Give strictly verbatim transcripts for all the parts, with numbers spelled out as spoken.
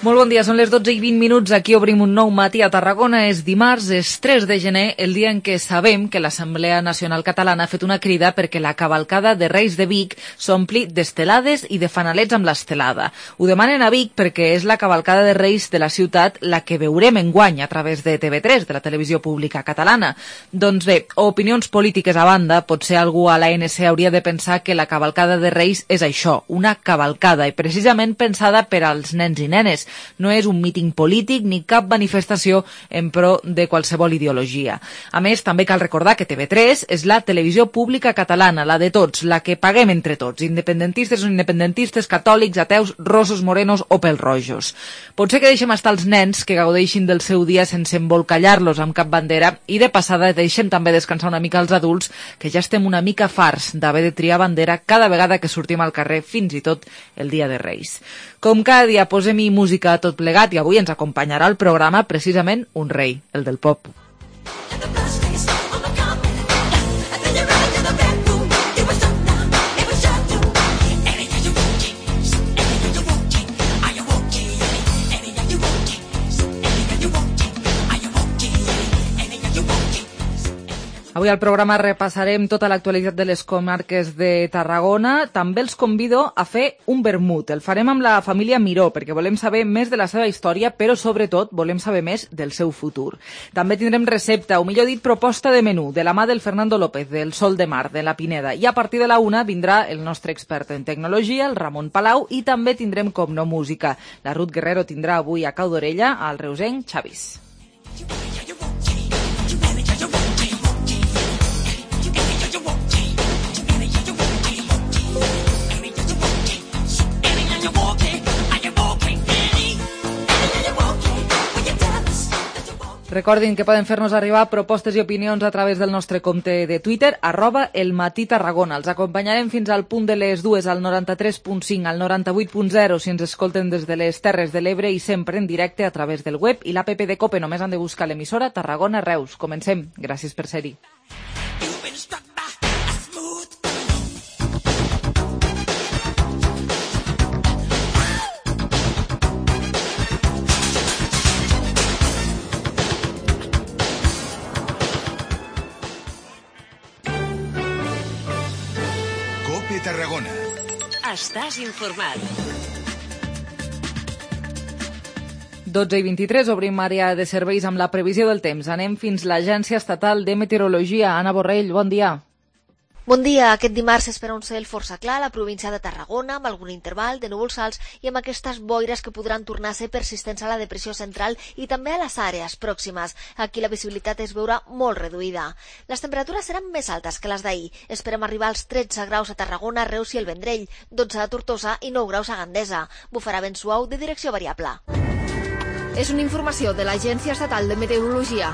Molt bon dia, són les dotze i vint minuts, aquí obrim un nou matí a Tarragona. És dimarts, és tres de gener, el dia en què sabem que l'Assemblea Nacional Catalana ha fet una crida perquè la cavalcada de Reis de Vic s'ompli d'estelades i de fanalets amb l'estelada. Ho demanen a Vic perquè és la cavalcada de Reis de la ciutat la que veurem enguany a través de T V tres, de la televisió pública catalana. Doncs bé, opinions polítiques a banda, potser algú a l'A N C hauria de pensar que la cavalcada de Reis és això, una cavalcada, i precisament pensada per als nens i nenes. No és un míting polític ni cap manifestació en pro de qualsevol ideologia. A més, també cal recordar que T V tres és la televisió pública catalana, la de tots, la que paguem entre tots, independentistes o independentistes, catòlics, ateus, rossos, morenos o pèl-rojos. Potser que deixem estar els nens que gaudeixin del seu dia sense embolcallar-los amb cap bandera i de passada deixem també descansar una mica els adults, que ja estem una mica farts d'haver de triar bandera cada vegada que sortim al carrer, fins i tot el dia de Reis. Com cada dia posem-hi música a tot plegat i avui ens acompanyarà al programa precisament un rei, el del pop. Avui al programa repassarem tota l'actualitat de les comarques de Tarragona. També els convido a fer un vermut. El farem amb la família Miró, perquè volem saber més de la seva història, però sobretot volem saber més del seu futur. També tindrem recepta, o millor dit, proposta de menú, de la mà del Fernando López, del Sol de Mar, de la Pineda. I a partir de la una vindrà el nostre expert en tecnologia, el Ramon Palau, i també tindrem, com no, música. La Ruth Guerrero tindrà avui a cau d'orella al reusenc Xavis. Recordin que poden fer-nos arribar propostes i opinions a través del nostre compte de Twitter, arroba elmatí-tarragona. Els acompanyarem fins al punt de les dues, al noranta-tres punt cinc, al noranta-vuit punt zero, si ens escolten des de les Terres de l'Ebre i sempre en directe a través del web i l'app de COPE. Només han de buscar l'emissora Tarragona Reus. Comencem. Gràcies per ser-hi. Tarragona. Estàs informat. dotze i vint-i-tres, obrim àrea de serveis amb la previsió del temps. Anem fins a l'Agència Estatal de Meteorologia. Anna Borrell, bon dia. Bon dia. Aquest dimarts s'espera un cel força clar a la província de Tarragona, amb algun interval de núvols alts i amb aquestes boires que podran tornar a ser persistents a la depressió central i també a les àrees pròximes. Aquí la visibilitat es veurà molt reduïda. Les temperatures seran més altes que les d'ahir. Esperem arribar als tretze graus a Tarragona, Reus i el Vendrell, dotze a Tortosa i nou graus a Gandesa. Bufarà vent suau de direcció variable. És una informació de l'Agència Estatal de Meteorologia.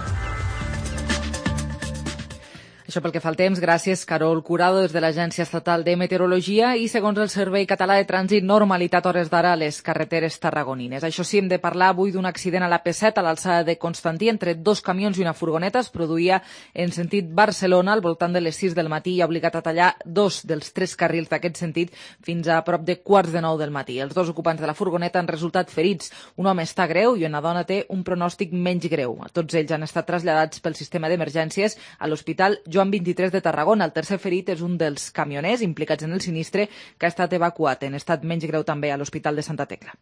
Això pel que fa al temps, gràcies Carol Curado des de l'Agència Estatal de Meteorologia i segons el Servei Català de Trànsit, normalitat hores d'ara a les carreteres tarragonines. Això sí, hem de parlar avui d'un accident a la P set a l'alçada de Constantí entre dos camions i una furgoneta. Es produïa en sentit Barcelona al voltant de les sis del matí i ha obligat a tallar dos dels tres carrils d'aquest sentit fins a prop de quarts de nou del matí. Els dos ocupants de la furgoneta han resultat ferits. Un home està greu i una dona té un pronòstic menys greu. Tots ells han estat traslladats pel sistema d'emergències a l'Hospital Joan vint-i-tres de Tarragona. El tercer ferit és un dels camioners implicats en el sinistre que ha estat evacuat en estat menys greu també a l'Hospital de Santa Tecla.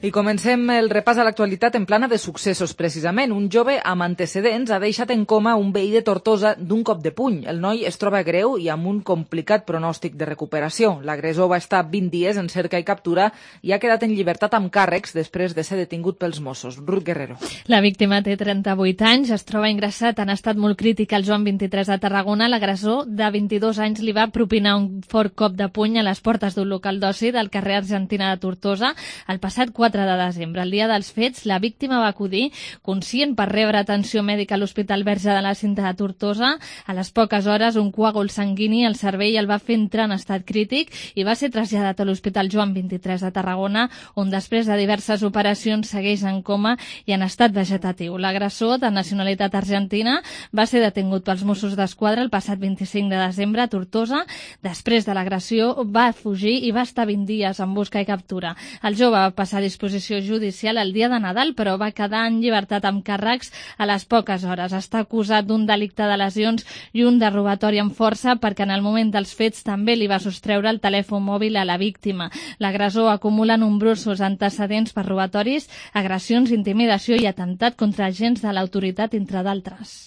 I comencem el repàs a l'actualitat en plana de successos, precisament. Un jove amb antecedents ha deixat en coma un veí de Tortosa d'un cop de puny. El noi es troba greu i amb un complicat pronòstic de recuperació. L'agressor va estar vint dies en cerca i captura i ha quedat en llibertat amb càrrecs després de ser detingut pels Mossos. Ruth Guerrero. La víctima té trenta-vuit anys, es troba ingressat en estat molt crític al Joan vint-i-tres de Tarragona. L'agressor de vint-i-dos anys li va propinar un fort cop de puny a les portes d'un local d'oci del carrer Argentina de Tortosa el passat quatre quatre de desembre. El dia dels fets, la víctima va acudir conscient per rebre atenció mèdica a l'Hospital Verge de la Cinta de Tortosa. A les poques hores, un coàgul sanguini al cervell el va fer entrar en estat crític i va ser traslladat a l'Hospital Joan vint-i-tres de Tarragona, on després de diverses operacions segueix en coma i en estat vegetatiu. L'agressor, de nacionalitat argentina, va ser detingut pels Mossos d'Esquadra el passat vint-i-cinc de desembre a Tortosa. Després de l'agressió va fugir i va estar vint dies en busca i captura. El jove va passar a disposició judicial el dia de Nadal, però va quedar en llibertat amb càrrecs a les poques hores. Està acusat d'un delicte de lesions i un de robatori amb força perquè en el moment dels fets també li va sostreure el telèfon mòbil a la víctima. L'agressor acumula nombrosos antecedents per robatoris, agressions, intimidació i atemptat contra agents de l'autoritat, entre d'altres.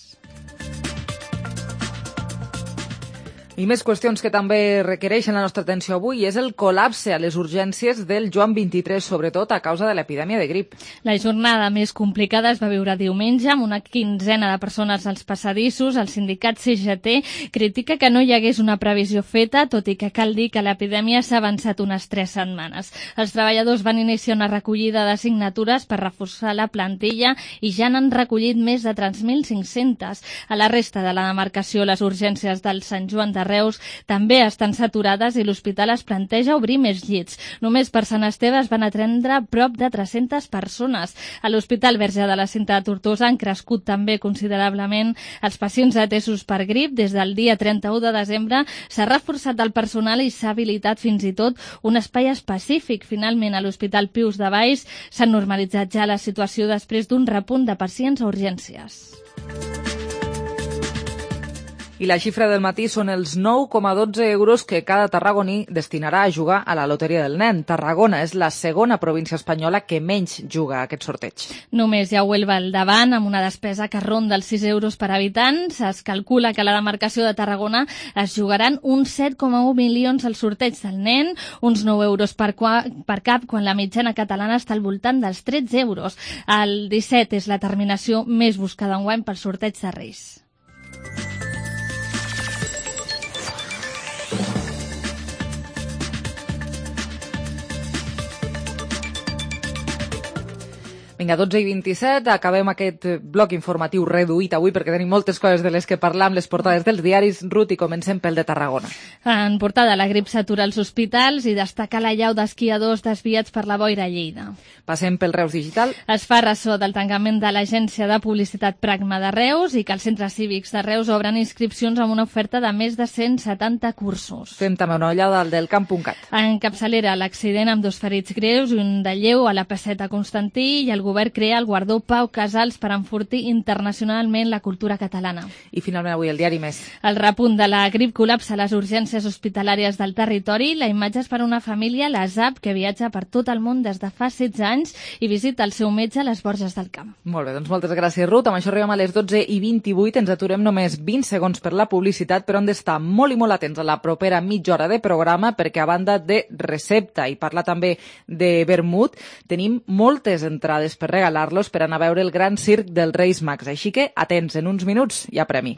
I més qüestions que també requereixen la nostra atenció avui és el col·lapse a les urgències del Joan vint-i-tres, sobretot a causa de l'epidèmia de grip. La jornada més complicada es va viure diumenge amb una quinzena de persones als passadissos. El sindicat C G T critica que no hi hagués una previsió feta, tot i que cal dir que l'epidèmia s'ha avançat unes tres setmanes. Els treballadors van iniciar una recollida de signatures per reforçar la plantilla i ja n'han recollit més de tres mil cinc-cents. A la resta de la demarcació, les urgències del Sant Joan de Reus també estan saturades i l'hospital es planteja obrir més llits. Només per Sant Esteve es van atendre prop de tres-centes persones. A l'Hospital Verge de la Cinta de Tortosa han crescut també considerablement els pacients atesos per grip. Des del dia trenta-u de desembre s'ha reforçat el personal i s'ha habilitat fins i tot un espai específic. Finalment, a l'Hospital Pius de Valls s'ha normalitzat ja la situació després d'un repunt de pacients a urgències. I la xifra del matí són els nou coma dotze euros que cada tarragoní destinarà a jugar a la Loteria del Nen. Tarragona és la segona província espanyola que menys juga a aquest sorteig. Només hi ha Huelva al davant, amb una despesa que ronda els sis euros per habitant. Es calcula que a la demarcació de Tarragona es jugaran uns set coma u milions al sorteig del Nen, uns nou euros per, per cap, quan la mitjana catalana està al voltant dels tretze euros. El disset és la terminació més buscada enguany pel sorteig de Reis. Vinga, dotze i vint-i-set, acabem aquest bloc informatiu reduït avui perquè tenim moltes coses de les que parlar amb les portades dels diaris. Ruth, i comencem pel de Tarragona. En portada, la grip s'atura als hospitals i destaca la llau d'esquiadors desviats per la boira a Lleida. Passem pel Reus Digital. Es fa ressò del tancament de l'agència de publicitat Pragma de Reus i que els centres cívics de Reus obren inscripcions amb una oferta de més de cent setanta cursos. Fem també una ullada al del camp punt cat. En capçalera, l'accident amb dos ferits greus i un de lleu a la Pesseta Constantí, i el govern crea el guardó Pau Casals per enfortir internacionalment la cultura catalana. I finalment avui el diari Més. El repunt de la grip col·lapsa a les urgències hospitalàries del territori. La imatge és per una família, la Zap, que viatja per tot el món des de fa setze anys i visita el seu metge a les Borges del Camp. Molt bé, doncs moltes gràcies, Ruth. Amb això arribem a les dotze i vint-i-vuit. Ens aturem només vint segons per la publicitat, però hem d'estar molt i molt atents a la propera mitja hora de programa perquè, a banda de recepta i parlar també de vermut, tenim moltes entrades per regalar-los per anar a veure el gran circ dels Reis Mags. Així que, atents, en uns minuts hi ha premi.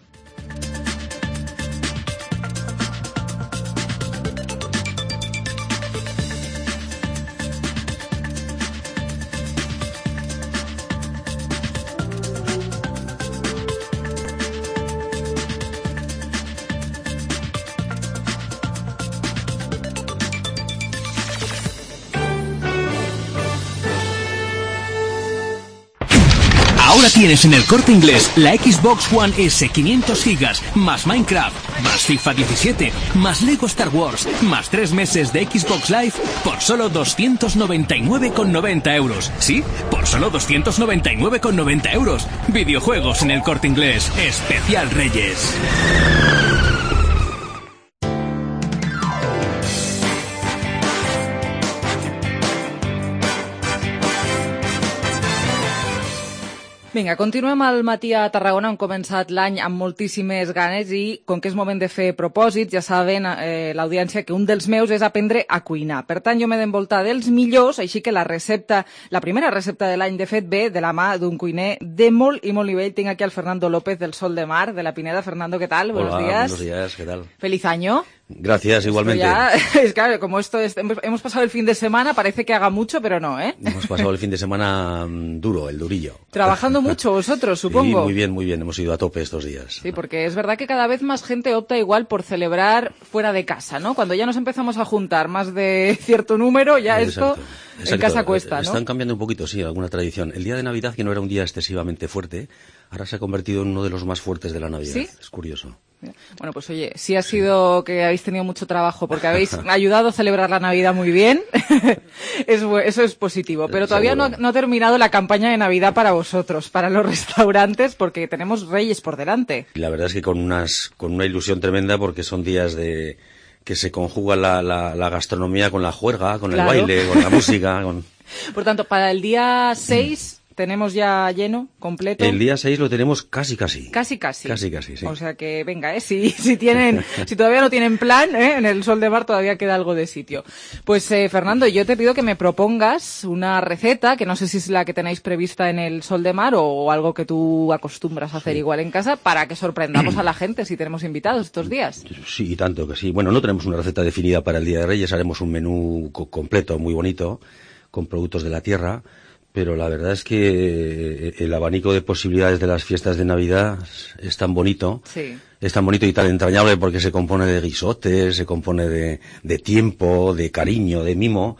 Ahora tienes en el Corte Inglés la Xbox One S quinientos gigas, más Minecraft, más FIFA diecisiete, más Lego Star Wars, más tres meses de Xbox Live por solo doscientos noventa y nueve con noventa euros. Sí, por solo doscientos noventa y nueve con noventa euros. Videojuegos en el Corte Inglés, especial Reyes. Vinga, continuem al matí a Tarragona. Hem començat l'any amb moltíssimes ganes i, com que és moment de fer propòsits, ja saben eh, l'audiència que un dels meus és aprendre a cuinar. Per tant, jo m'he d'envoltar dels millors, així que la recepta, la primera recepta de l'any, de fet, ve de la mà d'un cuiner de molt i molt nivell. Tinc aquí al Fernando López del Sol de Mar, de la Pineda. Fernando, ¿qué tal? Hola, buenos días. buenos días, ¿qué tal? Feliz año. Gracias, igualmente. Ya, es claro, como esto es, hemos pasado el fin de semana, parece que haga mucho, pero no, ¿eh? Hemos pasado el fin de semana duro, el durillo. Trabajando mucho vosotros, supongo. Sí, muy bien, muy bien. Hemos ido a tope estos días. Sí, porque es verdad que cada vez más gente opta igual por celebrar fuera de casa, ¿no? Cuando ya nos empezamos a juntar más de cierto número, ya Exacto, esto exacto. en casa cuesta, ¿no? Están cambiando un poquito, sí, alguna tradición. El día de Navidad, que no era un día excesivamente fuerte, ahora se ha convertido en uno de los más fuertes de la Navidad. ¿Sí? Es curioso. Bueno, pues oye, sí ha sido que habéis tenido mucho trabajo porque habéis ayudado a celebrar la Navidad muy bien. es, eso es positivo. Pero todavía no, no ha terminado la campaña de Navidad para vosotros, para los restaurantes, porque tenemos Reyes por delante. Y la verdad es que con unas con una ilusión tremenda porque son días de que se conjuga la, la, la gastronomía con la juerga, con Claro. el baile, con la música. Con... Por tanto, para el día seis... ¿Tenemos ya lleno, completo? El día seis lo tenemos casi, casi. Casi, casi. Casi, casi, sí. O sea que, venga, ¿eh? Si, si tienen, si todavía no tienen plan, ¿eh? En el Sol de Mar todavía queda algo de sitio. Pues, eh, Fernando, yo te pido que me propongas una receta, que no sé si es la que tenéis prevista en el Sol de Mar o algo que tú acostumbras a hacer sí. igual en casa, para que sorprendamos a la gente si tenemos invitados estos días. Sí, tanto que sí. Bueno, no tenemos una receta definida para el Día de Reyes, haremos un menú co- completo, muy bonito, con productos de la tierra. Pero la verdad es que el abanico de posibilidades de las fiestas de Navidad es tan bonito, sí. es tan bonito y tan entrañable porque se compone de guisotes, se compone de, de tiempo, de cariño, de mimo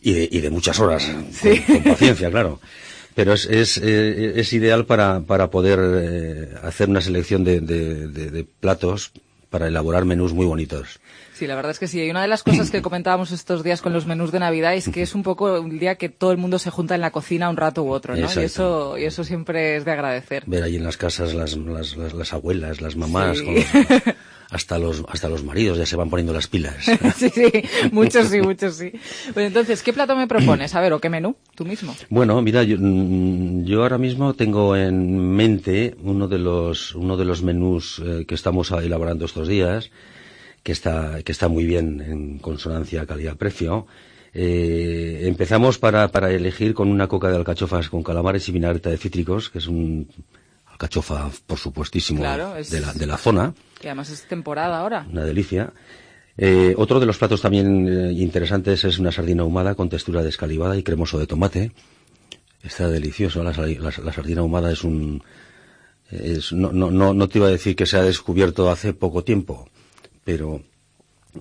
y de, y de muchas horas, sí. con, con paciencia, claro. Pero es, es, es ideal para, para poder eh, hacer una selección de, de, de, de platos para elaborar menús muy bonitos. Sí, la verdad es que sí. Y una de las cosas que comentábamos estos días con los menús de Navidad es que es un poco un día que todo el mundo se junta en la cocina un rato u otro, ¿no? Y eso, y eso siempre es de agradecer. Ver ahí en las casas las, las, las, las abuelas, las mamás, sí. con los, hasta los hasta los maridos ya se van poniendo las pilas. Sí, sí, muchos sí, muchos sí. Pues entonces, ¿qué plato me propones? A ver, ¿o qué menú? Tú mismo. Bueno, mira, yo, yo ahora mismo tengo en mente uno de los uno de los menús eh, que estamos elaborando estos días, que está que está muy bien en consonancia calidad-precio. Eh, empezamos para para elegir con una coca de alcachofas con calamares y vinagreta de cítricos, que es un alcachofa, por supuestísimo, claro, es... de la de la zona. Y además es temporada ahora. Una delicia. Eh, otro de los platos también eh, interesantes es una sardina ahumada con textura descalivada y cremoso de tomate. Está delicioso. La, la, la sardina ahumada es un... Es, no, no, no, no te iba a decir que se ha descubierto hace poco tiempo, pero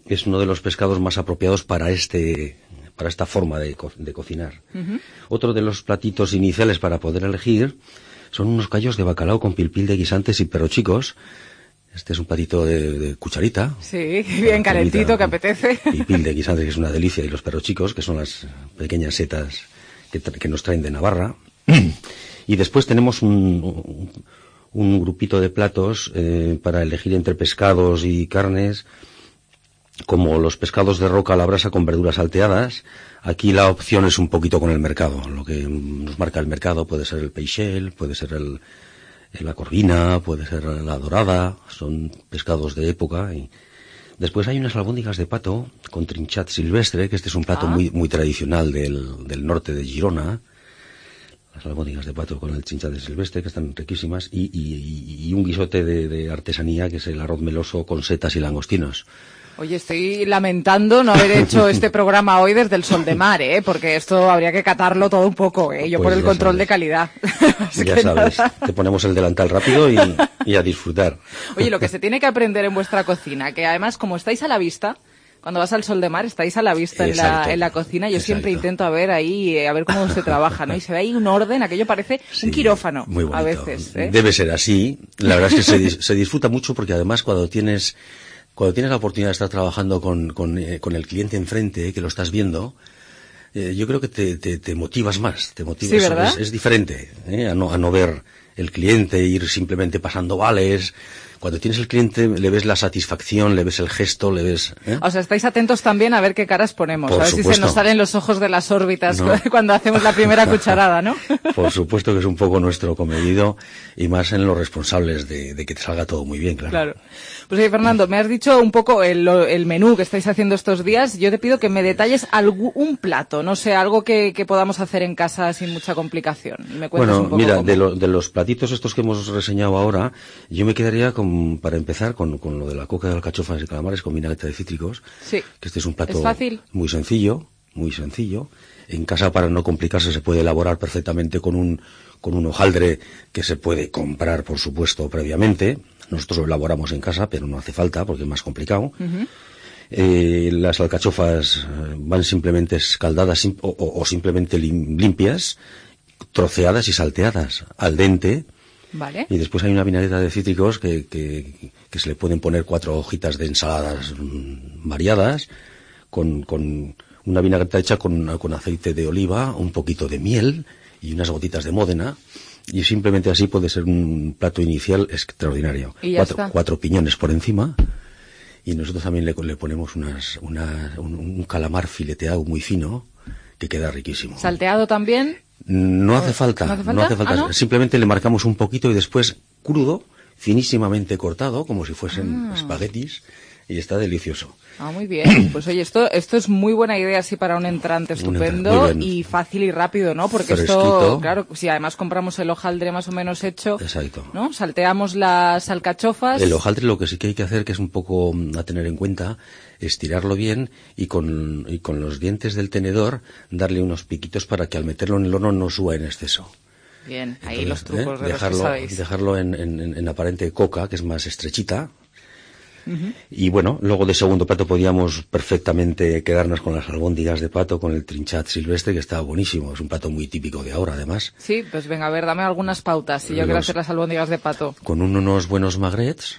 es uno de los pescados más apropiados para este para esta forma de, co de cocinar. Uh-huh. Otro de los platitos iniciales para poder elegir son unos callos de bacalao con pilpil de guisantes y perrochicos. Este es un platito de, de cucharita. Sí, bien calentito, que apetece. Pilpil de guisantes, que es una delicia, y los perrochicos, que son las pequeñas setas que, que nos traen de Navarra. Y después tenemos un... un un grupito de platos eh, para elegir entre pescados y carnes, como los pescados de roca a la brasa con verduras salteadas. Aquí la opción es un poquito con el mercado, lo que nos marca el mercado puede ser el peixel, puede ser el, el la corvina, puede ser la dorada, son pescados de época. Y después hay unas albóndigas de pato con trinchat silvestre, que este es un plato ah. muy muy tradicional del, del norte de Girona. Las albóndigas de pato con el trinchat de silvestre, que están riquísimas, y, y, y un guisote de, de artesanía, que es el arroz meloso con setas y langostinos. Oye, estoy lamentando no haber hecho este programa hoy desde el Sol de Mar, ¿eh? Porque esto habría que catarlo todo un poco, ¿eh? Yo pues por el control sabes. de calidad. Ya sabes, nada. Te ponemos el delantal rápido y, y a disfrutar. Oye, lo que se tiene que aprender en vuestra cocina, que además como estáis a la vista... Cuando vas al Sol de Mar, estáis a la vista en la, en la cocina. Yo Exacto. siempre intento a ver ahí, eh, a ver cómo se trabaja, ¿no? Y se ve ahí un orden, aquello parece sí, un quirófano muy bonito. A veces. ¿eh? Debe ser así. La verdad es que se, se disfruta mucho porque además cuando tienes, cuando tienes la oportunidad de estar trabajando con, con, eh, con el cliente enfrente, eh, que lo estás viendo, eh, yo creo que te, te, te motivas más. Te motivas, sí, ¿verdad? Es, es diferente, eh, a no, a no ver el cliente, ir simplemente pasando vales. Cuando tienes el cliente, le ves la satisfacción, le ves el gesto, le ves... ¿eh? O sea, estáis atentos también a ver qué caras ponemos, Por a ver supuesto. si se nos salen los ojos de las órbitas no. cuando hacemos la primera cucharada, ¿no? Por supuesto que es un poco nuestro comedido, y más en los responsables de, de que te salga todo muy bien, claro. Claro. Pues oye, Fernando, me has dicho un poco el, el menú que estáis haciendo estos días. Yo te pido que me detalles algún, un plato, no sé, algo que, que podamos hacer en casa sin mucha complicación. Y me cuentes bueno, un poco mira, cómo. de, lo, de los platitos estos que hemos reseñado ahora, yo me quedaría con con, para empezar con, con lo de la coca de alcachofas y calamares con vinagreta de cítricos. Sí. Que este es un plato ¿Es fácil? muy sencillo, muy sencillo. En casa, para no complicarse, se puede elaborar perfectamente con un, con un hojaldre que se puede comprar, por supuesto, previamente. Nosotros lo elaboramos en casa, pero no hace falta porque es más complicado. Uh-huh. Eh, las alcachofas van simplemente escaldadas sim- o, o, o simplemente lim- limpias, troceadas y salteadas al dente. Vale. Y después hay una vinagreta de cítricos que, que, que se le pueden poner cuatro hojitas de ensaladas mmm, variadas, con, con una vinagreta hecha con, con aceite de oliva, un poquito de miel y unas gotitas de Módena. Y simplemente así puede ser un plato inicial extraordinario. Y ya cuatro, está. cuatro piñones por encima. Y nosotros también le, le ponemos unas, una, un, un calamar fileteado muy fino, que queda riquísimo. ¿Salteado también? No hace falta, ¿No hace falta? no hace falta. ¿Ah, no? Simplemente le marcamos un poquito y después crudo, finísimamente cortado, como si fuesen Ah. espaguetis, y está delicioso. Ah, muy bien. Pues oye, esto esto es muy buena idea así para un entrante Un estupendo entrante, muy bien. y fácil y rápido, ¿no? Porque Fresquito. esto, claro, si además compramos el hojaldre más o menos hecho, Exacto. ¿no? Salteamos las alcachofas. El hojaldre lo que sí que hay que hacer, que es un poco mm, a tener en cuenta, es tirarlo bien y con, y con los dientes del tenedor darle unos piquitos para que al meterlo en el horno no suba en exceso. Bien, ahí Entonces, los trucos ¿eh? de dejarlo, los que sabéis. dejarlo en, en, en aparente coca, que es más estrechita. Uh-huh. Y bueno, luego de segundo plato podíamos perfectamente quedarnos con las albóndigas de pato, con el trinchat silvestre, que está buenísimo. Es un plato muy típico de ahora, además. Sí, pues venga, a ver, dame algunas pautas si yo Los- quiero hacer las albóndigas de pato. Con un- unos buenos magrets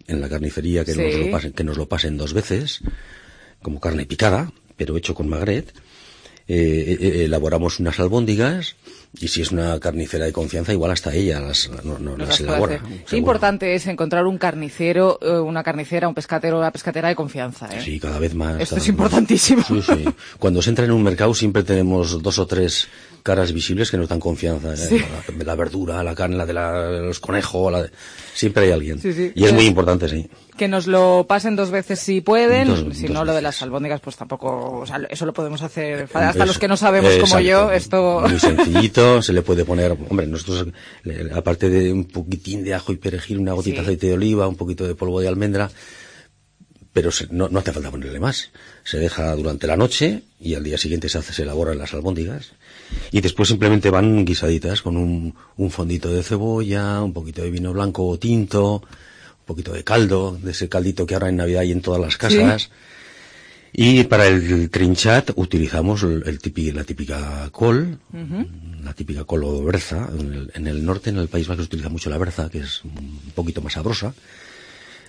en la carnicería, que, Sí. nos lo pasen, que nos lo pasen dos veces, como carne picada, pero hecho con magret. Eh, eh, elaboramos unas albóndigas, y si es una carnicera de confianza, igual hasta ella las, no, no, Nos las las puede elabora. hacer. Qué seguro. importante es encontrar un carnicero, eh, una carnicera, un pescatero, una pescatera de confianza, ¿eh? Sí, cada vez más. Esto cada es vez más. importantísimo. Sí, sí. Cuando se entra en un mercado siempre tenemos dos o tres caras visibles que nos dan confianza. ¿eh? Sí. La, la verdura, la carne, la de la- los conejos, la de- siempre hay alguien. Sí, sí. Y es muy importante, sí. Que nos lo pasen dos veces si pueden, Dos- si dos no lo de veces. las albóndigas pues tampoco, o sea, eso lo podemos hacer, hasta Hombre, los que no sabemos eh, como yo, exacto. esto... Muy sencillito, se le puede poner, hombre, nosotros, le- aparte de un poquitín de ajo y perejil, una gotita Sí. de aceite de oliva, un poquito de polvo de almendra, pero se- no, no hace falta ponerle más. Se deja durante la noche y al día siguiente se hace, se elaboran las albóndigas. Y después simplemente van guisaditas con un, un fondito de cebolla, un poquito de vino blanco o tinto, un poquito de caldo, de ese caldito que ahora en Navidad hay en todas las casas. Sí. Y para el trinchat utilizamos el, el típi- la típica col, Ujú. la típica col o berza. En el, en el norte, en el País Vasco, se utiliza mucho la berza, que es un poquito más sabrosa.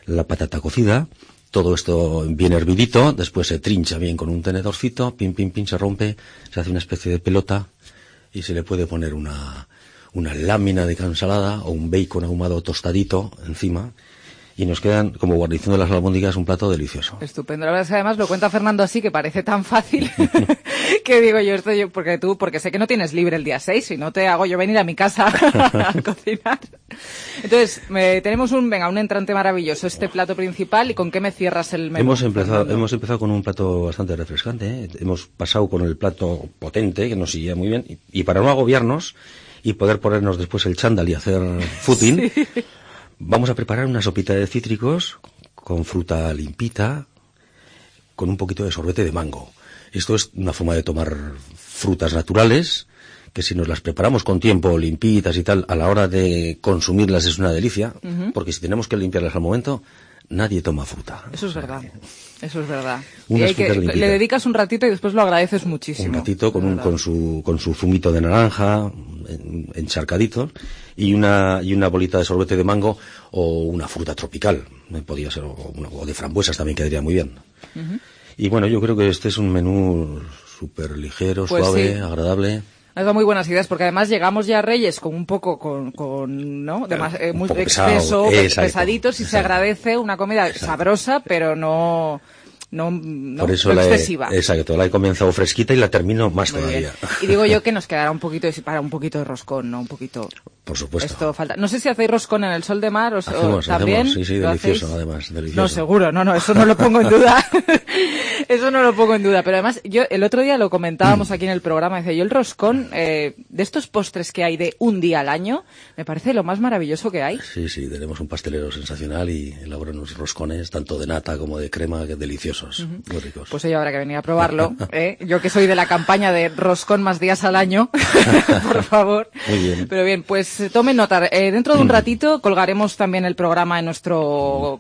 La patata cocida, todo esto bien hervidito, después se trincha bien con un tenedorcito, pim, pim, pim, se rompe, se hace una especie de pelota y se le puede poner una, una lámina de ensalada o un bacon ahumado tostadito encima. Y nos quedan, como guarnición de las albóndigas, un plato delicioso. Estupendo. La verdad es que además lo cuenta Fernando así, que parece tan fácil, que digo yo, esto yo, porque tú, porque sé que no tienes libre el día seis, si no te hago yo venir a mi casa a cocinar. Entonces, me, tenemos un, venga, un entrante maravilloso, este plato principal, ¿y con qué me cierras el menú? Hemos empezado, Fernando? hemos empezado con un plato bastante refrescante, ¿eh? Hemos pasado con el plato potente, que nos sigue muy bien, y, y para no agobiarnos y poder ponernos después el chándal y hacer footing, Sí. vamos a preparar una sopita de cítricos con fruta limpita, con un poquito de sorbete de mango. Esto es una forma de tomar frutas naturales, que si nos las preparamos con tiempo, limpitas y tal, a la hora de consumirlas es una delicia, Ujú. porque si tenemos que limpiarlas al momento, nadie toma fruta. Eso es verdad, eso es verdad. Y Unas hay que, frutas limpitas. le dedicas un ratito y después lo agradeces muchísimo. Un ratito con, de un, verdad. con su con su zumito de naranja en- encharcadito y una y una bolita de sorbete de mango o una fruta tropical, eh, podría ser, o, una- o de frambuesas también quedaría muy bien. Ujú. Y bueno, yo creo que este es un menú súper ligero, Pues suave, sí. agradable. Has dado muy buenas ideas, porque además llegamos ya a Reyes con un poco, con, con ¿no? Demas- eh, Un muy poco exceso, pesado, pe- exacto, pesaditos, y se exacto. agradece una comida Exacto. sabrosa, pero no, no, no, Por eso no la he, excesiva. exacto, la he comenzado fresquita y la termino más Muy todavía. bien. Y digo yo que nos quedará un poquito, de- para un poquito de roscón, ¿no? Un poquito... Por supuesto. Esto falta. No sé si hacéis roscón en el Sol de Mar o, hacemos, o también. Hacemos, sí, sí, delicioso, hacéis? Además, delicioso. No, seguro, no, no, eso no lo pongo en duda. Eso no lo pongo en duda. Pero además, yo el otro día lo comentábamos aquí en el programa, decía yo, el roscón, eh, de estos postres que hay de un día al año, me parece lo más maravilloso que hay. Sí, sí, tenemos un pastelero sensacional y elabora unos roscones, tanto de nata como de crema, que deliciosos, uh-huh. Muy ricos. Pues yo habrá que venir a probarlo, ¿eh? Yo que soy de la campaña de roscón más días al año, por favor. Muy bien. Pero bien, pues tomen nota. Eh, dentro de un ratito colgaremos también el programa en nuestra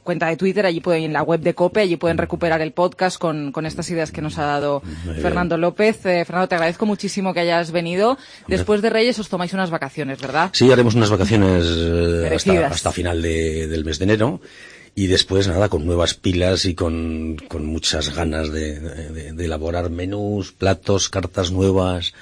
cuenta de Twitter, allí pueden, en la web de COPE, allí pueden recuperar el podcast con, con estas ideas que nos ha dado Muy Fernando bien. López. Eh, Fernando, te agradezco muchísimo que hayas venido. Después de Reyes os tomáis unas vacaciones, ¿verdad? Sí, haremos unas vacaciones eh, hasta, hasta final de, del mes de enero. Y después, nada, con nuevas pilas y con, con muchas ganas de, de, de elaborar menús, platos, cartas nuevas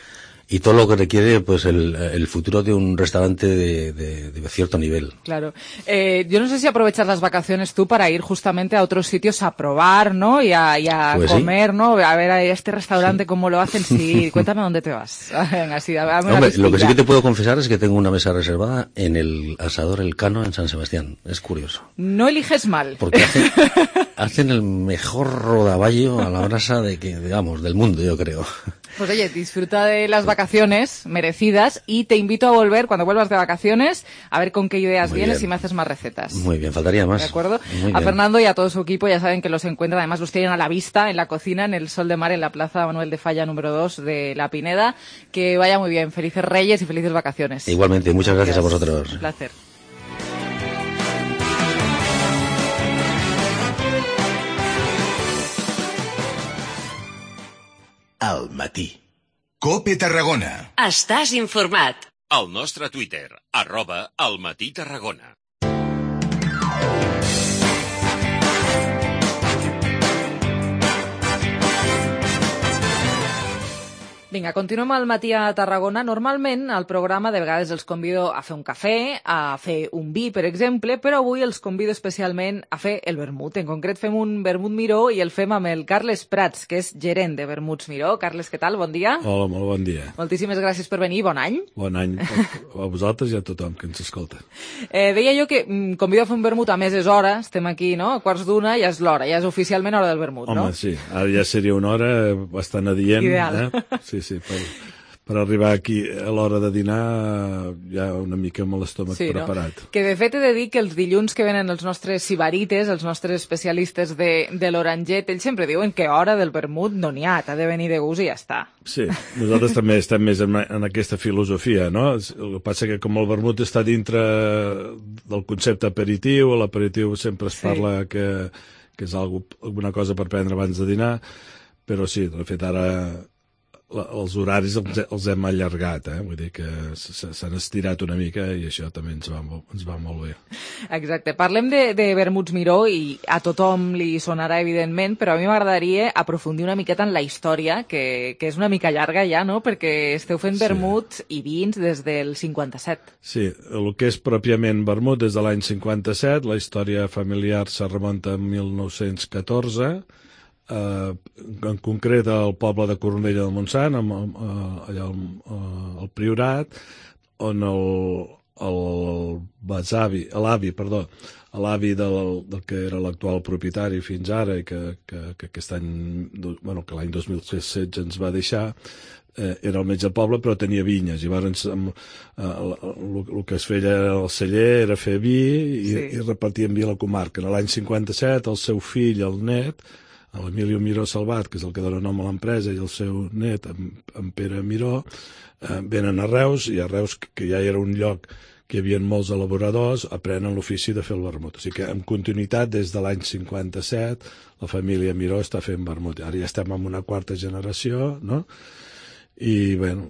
y todo lo que requiere pues el, el futuro de un restaurante de, de, de cierto nivel. Claro. Eh, yo no sé si aprovechas las vacaciones tú para ir justamente a otros sitios a probar, ¿no? Y a, y a pues comer, sí. ¿no? A ver a este restaurante sí. Cómo lo hacen. Sí, cuéntame dónde te vas. Venga, sí, dame Hombre, lo que sí que te puedo confesar es que tengo una mesa reservada en el Asador El Cano en San Sebastián. Es curioso. No eliges mal. Porque hacen, hacen el mejor rodaballo a la brasa de que, digamos, del mundo, yo creo. Pues oye, disfruta de las vacaciones merecidas y te invito a volver cuando vuelvas de vacaciones a ver con qué ideas Muy vienes bien. Y me haces más recetas. Muy bien, faltaría más. ¿De acuerdo? Muy a bien. Fernando y a todo su equipo ya saben que los encuentran, además los tienen a la vista en la cocina, en el Sol de Mar, en la Plaza Manuel de Falla número dos de La Pineda. Que vaya muy bien, felices Reyes y felices vacaciones. Igualmente, muchas gracias, gracias a vosotros. Un placer. Al matí. COPE Tarragona. Estàs informat. Al nostre Twitter, arroba Al Matí Tarragona. Vinga, continuem al matí a Tarragona. Normalment, al programa, de vegades els convido a fer un cafè, a fer un vi, per exemple, però avui els convido especialment a fer el vermut. En concret, fem un vermut Miró i el fem amb el Carles Prats, que és gerent de Vermuts Miró. Carles, què tal? Bon dia. Hola, molt bon dia. Moltíssimes gràcies per venir. Bon any. Bon any a vosaltres i a tothom que ens escolta. Eh, deia jo que mm, convido a fer un vermut a meses hora. Estem aquí, no? A quarts d'una, ja és l'hora. Ja és oficialment hora del vermut, Home, no? Home, sí. Ara ja seria una hora bastant adient. Ideal. Eh? Sí, sí, per, per arribar aquí a l'hora de dinar ja una mica amb l'estómac sí, preparat. No? Que de fet he de dir que els dilluns que venen els nostres sibarites, els nostres especialistes de, de l'Oranget, ells sempre diuen que hora del vermut no n'hi ha, t'ha de venir de gust i ja està. Sí, nosaltres també estem més en, en aquesta filosofia, no? El que passa que com el vermut està dintre del concepte aperitiu, l'aperitiu sempre es parla sí. que, que és alguna cosa per prendre abans de dinar, però sí, de fet ara els horaris els, els hem allargat, eh? Vull dir que s'han estirat una mica i això també ens va, ens va molt bé. Exacte. Parlem de, de Vermuts Miró i a tothom li sonarà, evidentment, però a mi m'agradaria aprofundir una miqueta en la història, que, que és una mica llarga ja, no?, perquè esteu fent vermuts sí. i vins des del cinquanta-set. Sí, el que és pròpiament vermut des de l'any cinquanta-set, la història familiar se remunta a mil nou-cents catorze, Uh, en concret al poble de Cornudella del Montsant, amb, uh, allà al, uh, al Priorat, on el, el besavi, l'avi, perdó, l'avi del, del que era l'actual propietari fins ara i que, que, que aquest any, bueno, que l'any dos mil setze ens va deixar, eh, era el metge del poble, però tenia vinyes. I llavors el eh, que es feia al celler era fer vi i, sí. i repartir en vi a la comarca. En l'any cinquanta-set, el seu fill, el net, l'Emilio Miró Salvat, que és el que dona nom a l'empresa, i el seu net, en, en Pere Miró, eh, venen a Reus, i a Reus, que ja era un lloc que hi havia molts elaboradors, aprenen l'ofici de fer el vermut. O sigui que, en continuïtat, des de l'any cinquanta-set, la família Miró està fent vermut. Ara ja estem en una quarta generació, no?, i, bueno,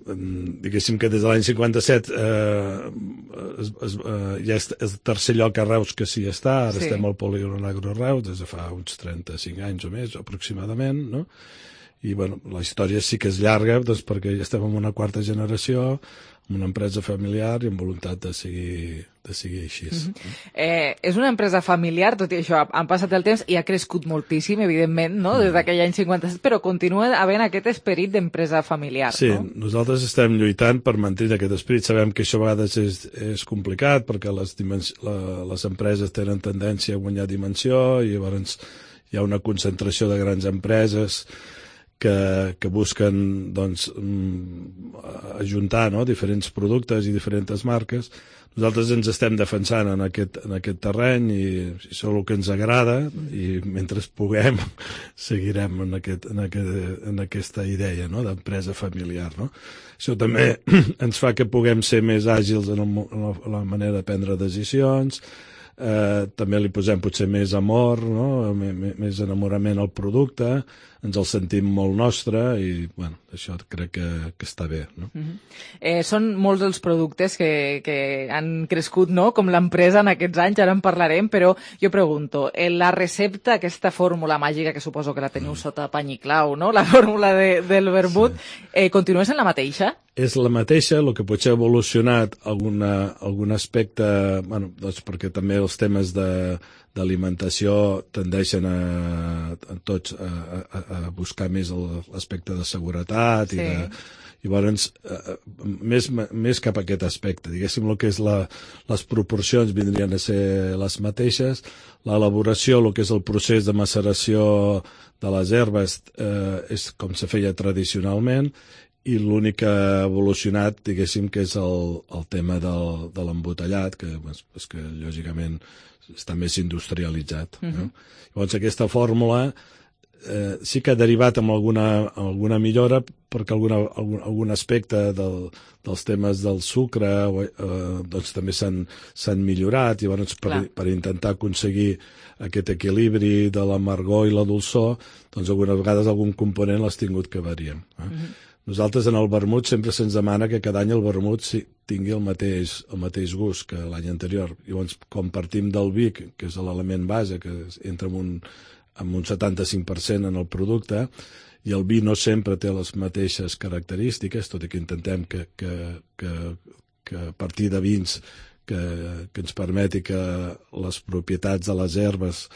diguéssim que des de l'any cinquanta-set eh, es, es, eh, ja és el tercer lloc a Reus que s'hi està, ara sí. estem al Polígon Agro Reus des de fa uns trenta-cinc anys o més, aproximadament, no? i bueno, la història sí que és llarga, doncs, perquè ja estem en una quarta generació, en una empresa familiar i amb voluntat de seguir, de seguir així. Mm-hmm. eh, és una empresa familiar, tot i això, han passat el temps i ha crescut moltíssim, evidentment, no? Des d'aquell any cinquanta-set, però continua havent aquest esperit d'empresa familiar. Sí, no? Nosaltres estem lluitant per mantenir aquest esperit. Sabem que això a vegades és, és complicat perquè les, dimens... la, les empreses tenen tendència a guanyar dimensió i llavors hi ha una concentració de grans empreses que, que busquen doncs, ajuntar, no?, diferents productes i diferents marques. Nosaltres ens estem defensant en aquest, en aquest terreny i, i és el que ens agrada i mentre puguem seguirem en, aquest, en, aquest, en aquesta idea, no?, d'empresa familiar. No? Això també ens fa que puguem ser més àgils en, el, en la, la manera de prendre decisions. Eh, també li posem potser més amor, no? Més enamorament al producte, ens el sentim molt nostre i bueno, això crec que, que està bé. No? Mm-hmm. eh, són molts els productes que, que han crescut, no? Com l'empresa en aquests anys, ara en parlarem, però jo pregunto, eh, la recepta, aquesta fórmula màgica que suposo que la teniu mm. sota pany i clau, no? La fórmula de, del vermut, sí. eh, continua sent la mateixa? És la mateixa, el que potser ha evolucionat alguna, algun aspecte, bueno, doncs perquè també els temes de, d'alimentació tendeixen a, a tots a, a, a buscar més l'aspecte de seguretat sí. i de, llavors més, més cap a aquest aspecte. Diguéssim, el que és la, les proporcions vindrien a ser les mateixes, l'elaboració, el que és el procés de maceració de les herbes eh, és com se feia tradicionalment i l'únic que ha evolucionat, diguéssim, que és el, el tema del, de l'embotellat, que és, és que lògicament està més industrialitzat. Mm-hmm. No? Llavors aquesta fórmula eh, sí que ha derivat amb alguna, alguna millora perquè alguna, algun, algun aspecte del, dels temes del sucre eh, doncs també s'han, s'han millorat i llavors per, per intentar aconseguir aquest equilibri de l'amargor i la dolçor, doncs algunes vegades algun component l'has tingut que variar. Eh? Mm-hmm. Nosaltres en el vermut sempre se'ns demana que cada any el vermut tingui el mateix, el mateix gust que l'any anterior. Llavors, com partim del vi, que és l'element base, que entra amb un, amb un setanta-cinc per cent en el producte, i el vi no sempre té les mateixes característiques, tot i que intentem que, que, que, que a partir de vins que, que ens permeti que les propietats de les herbes,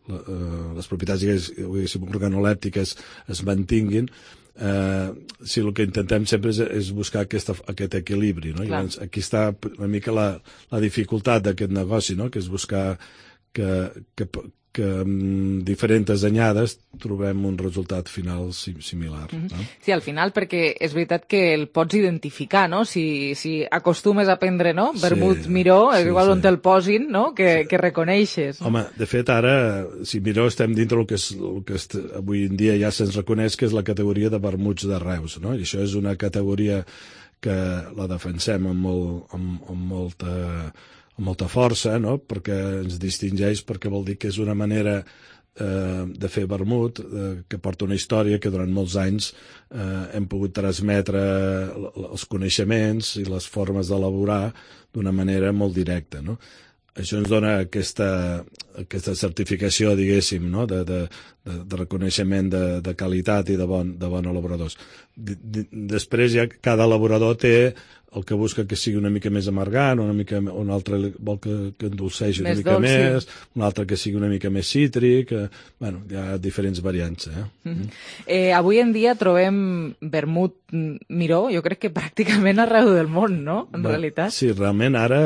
les propietats diguéssim, organolèptiques es mantinguin. Eh, si el que intentem sempre és, és buscar aquesta, aquest equilibri, no? Llavors, aquí està una mica la, la dificultat d'aquest negoci, no? Que és buscar que, que, que amb diferents anyades trobem un resultat final similar. Mm-hmm. No? Sí, al final, perquè és veritat que el pots identificar, no? Si, si acostumes a prendre, no? Vermut sí, Miró, és sí, igual sí. On te'l posin, no? Que, sí. que reconeixes. Home, de fet, ara, si Miró estem dintre del que, és, el que és, avui en dia ja se'ns reconeix que és la categoria de vermuts de Reus, no? I això és una categoria que la defensem amb, molt, amb, amb molta... amb molta força, no? Perquè ens distingeix, perquè vol dir que és una manera eh, de fer vermut eh, que porta una història que durant molts anys eh, hem pogut transmetre els coneixements i les formes d'elaborar d'una manera molt directa, no? Això ens dona aquesta, aquesta certificació, diguéssim, no? de, de, de, de reconeixement de, de qualitat i de, bon, de bons elaboradors. D -d Després ja cada elaborador té el que busca que sigui una mica més amargant, una mica, un altre vol que, que endolceixi una més mica dolç, més, sí. Un altre que sigui una mica més cítric, eh, bueno, hi ha diferents variants. Eh? Mm-hmm. eh, avui en dia trobem vermut Miró, jo crec que pràcticament arreu del món, no?, en Bé, realitat. Sí, realment ara,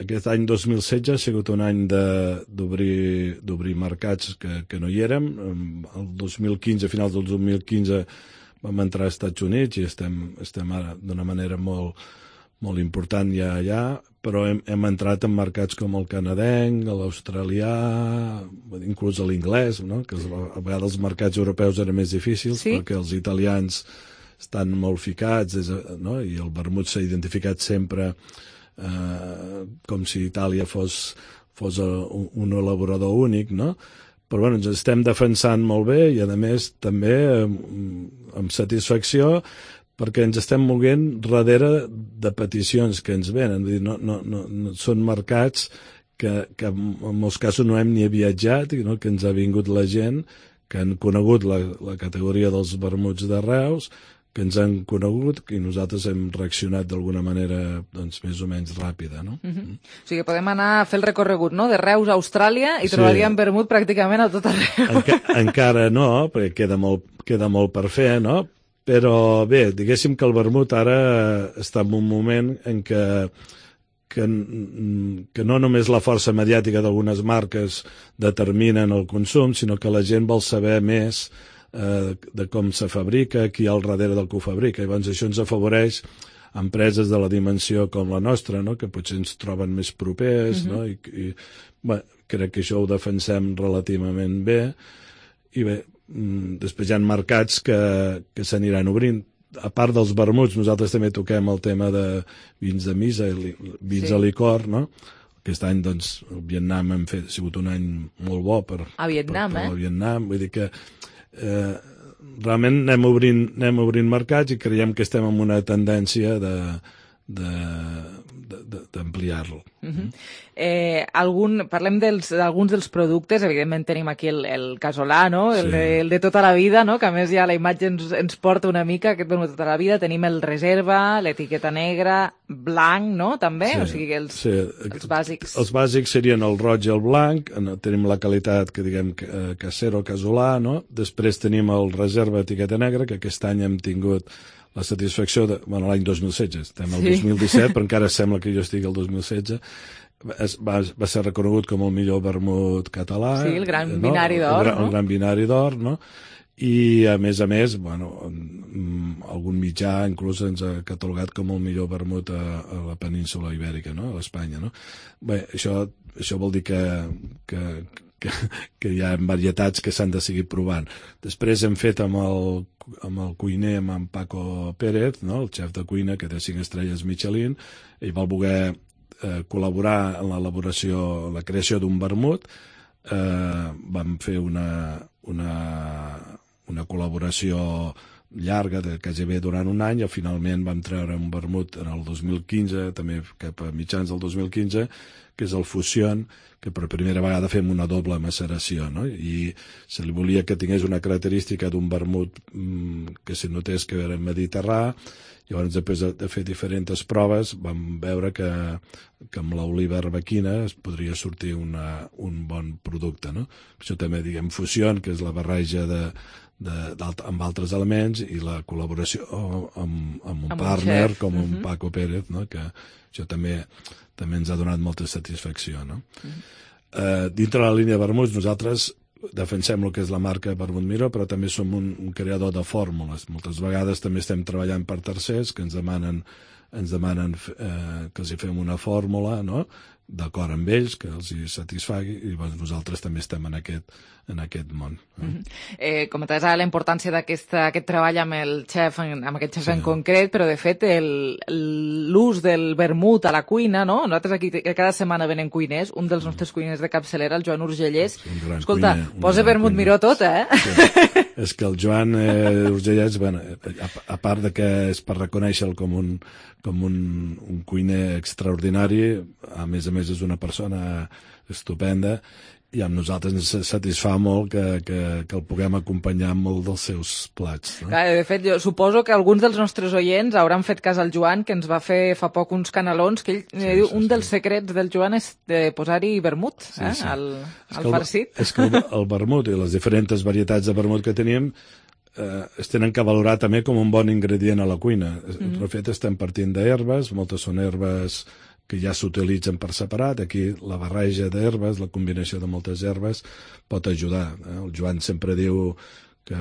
aquest any dos mil setze ha sigut un any d'obrir mercats que, que no hi érem. El dos mil quinze, a finals del dos mil quinze, vam entrar als Estats Units i estem, estem ara d'una manera molt, molt important ja allà, però hem, hem entrat en mercats com el canadenc, l'australià, inclús l'inglès, no? Que a vegades els mercats europeus eren més difícils, sí? Perquè els italians estan molt ficats, no? I el vermut s'ha identificat sempre eh, com si Itàlia fos, fos un, un elaborador únic, no? Però bueno, ens estem defensant molt bé i a més també amb, amb satisfacció perquè ens estem moguent darrere de peticions que ens venen. No, no, no, no, són mercats que, que en molts casos no hem ni viatjat, no? Que ens ha vingut la gent que han conegut la, la categoria dels vermuts de Reus, que ens han conegut i nosaltres hem reaccionat d'alguna manera doncs, més o menys ràpida, no? Uh-huh. Mm. O sigui, podem anar a fer el recorregut, no?, de Reus a Austràlia i sí. trobaríem vermut pràcticament a tot arreu. Enca encara no, perquè queda molt, queda molt per fer, no? Però bé, diguéssim que el vermut ara està en un moment en què, que, que no només la força mediàtica d'algunes marques determinen el consum, sinó que la gent vol saber més eh, de com se fabrica, qui hi ha al darrere del que ho fabrica. I llavors això ens afavoreix empreses de la dimensió com la nostra, no?, que potser ens troben més propers, uh-huh. no? I, i bé, crec que això ho defensem relativament bé. I bé, després hi ha mercats que, que s'aniran obrint. A part dels vermuts, nosaltres també toquem el tema de vins de misa, vins sí. de licor, no? Aquest any, doncs, el Vietnam hem fet, ha sigut un any molt bo per, a Vietnam, per, per eh? el Vietnam. Vull dir que eh, realment anem obrint, anem obrint mercats i creiem que estem en una tendència de d'ampliar-lo. De, de, uh-huh. eh, algun, parlem d'alguns dels, dels productes, evidentment tenim aquí el, el casolà, no? el, sí. de, el de tota la vida, no? Que a més ja la imatge ens, ens porta una mica, aquest de tota la vida, tenim el reserva, l'etiqueta negra, blanc, no? També, sí. o sigui, els, sí. els bàsics. Els bàsics serien el roig i el blanc, tenim la qualitat que diguem casero, casolà, no? Després tenim el reserva, etiqueta negra, que aquest any hem tingut la satisfacció de... Bueno, l'any dos mil setze, estem al sí. dos mil disset, però encara sembla que jo estigui al dos mil setze. Es, va, va ser reconegut com el millor vermut català. Sí, el gran no? binari d'or, el, no? El gran binari d'or, no? I, a més a més, bueno, algun mitjà inclús ens ha catalogat com el millor vermut a, a la península ibèrica, no? A l'Espanya, no? Bé, això, això vol dir que... que Que, que hi ha varietats que s'han de seguir provant. Després hem fet amb el, amb el cuiner, amb en Paco Pérez, no? El xef de cuina, que té cinc estrelles Michelin, ell va voler eh, col·laborar en l'elaboració, en la creació d'un vermut. Eh, vam fer una, una, una col·laboració llarga, de gairebé durant un any, i finalment vam treure un vermut en el dos mil quinze, també cap a mitjans del dos mil quinze, que és el Fusion, que per primera vegada fem una doble maceració, no? I se li volia que tingués una característica d'un vermut mmm, que se notés que era mediterrà. Llavors, després de, de fer diferents proves, vam veure que, que amb l'oliva arbequina es podria sortir una, un bon producte, no? Això també, diguem, Fusion, que és la barreja de, de, amb altres elements, i la col·laboració amb, amb un amb partner un com un uh-huh. Paco Pérez, no? Que això també també ens ha donat molta satisfacció, no? Uh-huh. eh, dintre la línia de vermuts, nosaltres defensem el que és la marca Vermut Miró, però també som un, un creador de fórmules. Moltes vegades també estem treballant per tercers que ens demanen, ens demanen eh, que els hi fem una fórmula, no?, d'acord amb ells, que els hi satisfagui, i doncs, nosaltres també estem en aquest, en aquest món. Eh? Mm-hmm. eh, comentaves ara la importància d'aquest treball amb el xef, amb aquest xef sí. en concret, però de fet l'ús del vermut a la cuina, no? Nosaltres aquí cada setmana venen cuiners, un dels nostres cuiners de capçalera, el Joan Urgellés, escolta, cuiner, posa vermut cuiner. Miró tot, eh? Sí. És que el Joan eh, Urgellés, bueno, a, a part de que és per reconèixer-lo com un com un, un cuiner extraordinari, a més a més és una persona estupenda, i amb nosaltres ens satisfà molt que, que, que el puguem acompanyar amb molt dels seus plats. No? Clar, de fet, jo suposo que alguns dels nostres oients hauran fet cas al Joan, que ens va fer fa poc uns canelons, que ell sí, diu, sí, un sí. dels secrets del Joan és de posar-hi vermut sí, eh, sí. al, al farcit. És que el, el vermut i les diferents varietats de vermut que tenim eh, es tenen que valorar també com un bon ingredient a la cuina. Mm-hmm. De fet, estem partint d'herbes, moltes són herbes que ja s'utilitzen per separat. Aquí la barreja d'herbes, la combinació de moltes herbes pot ajudar. Eh? El Joan sempre diu que,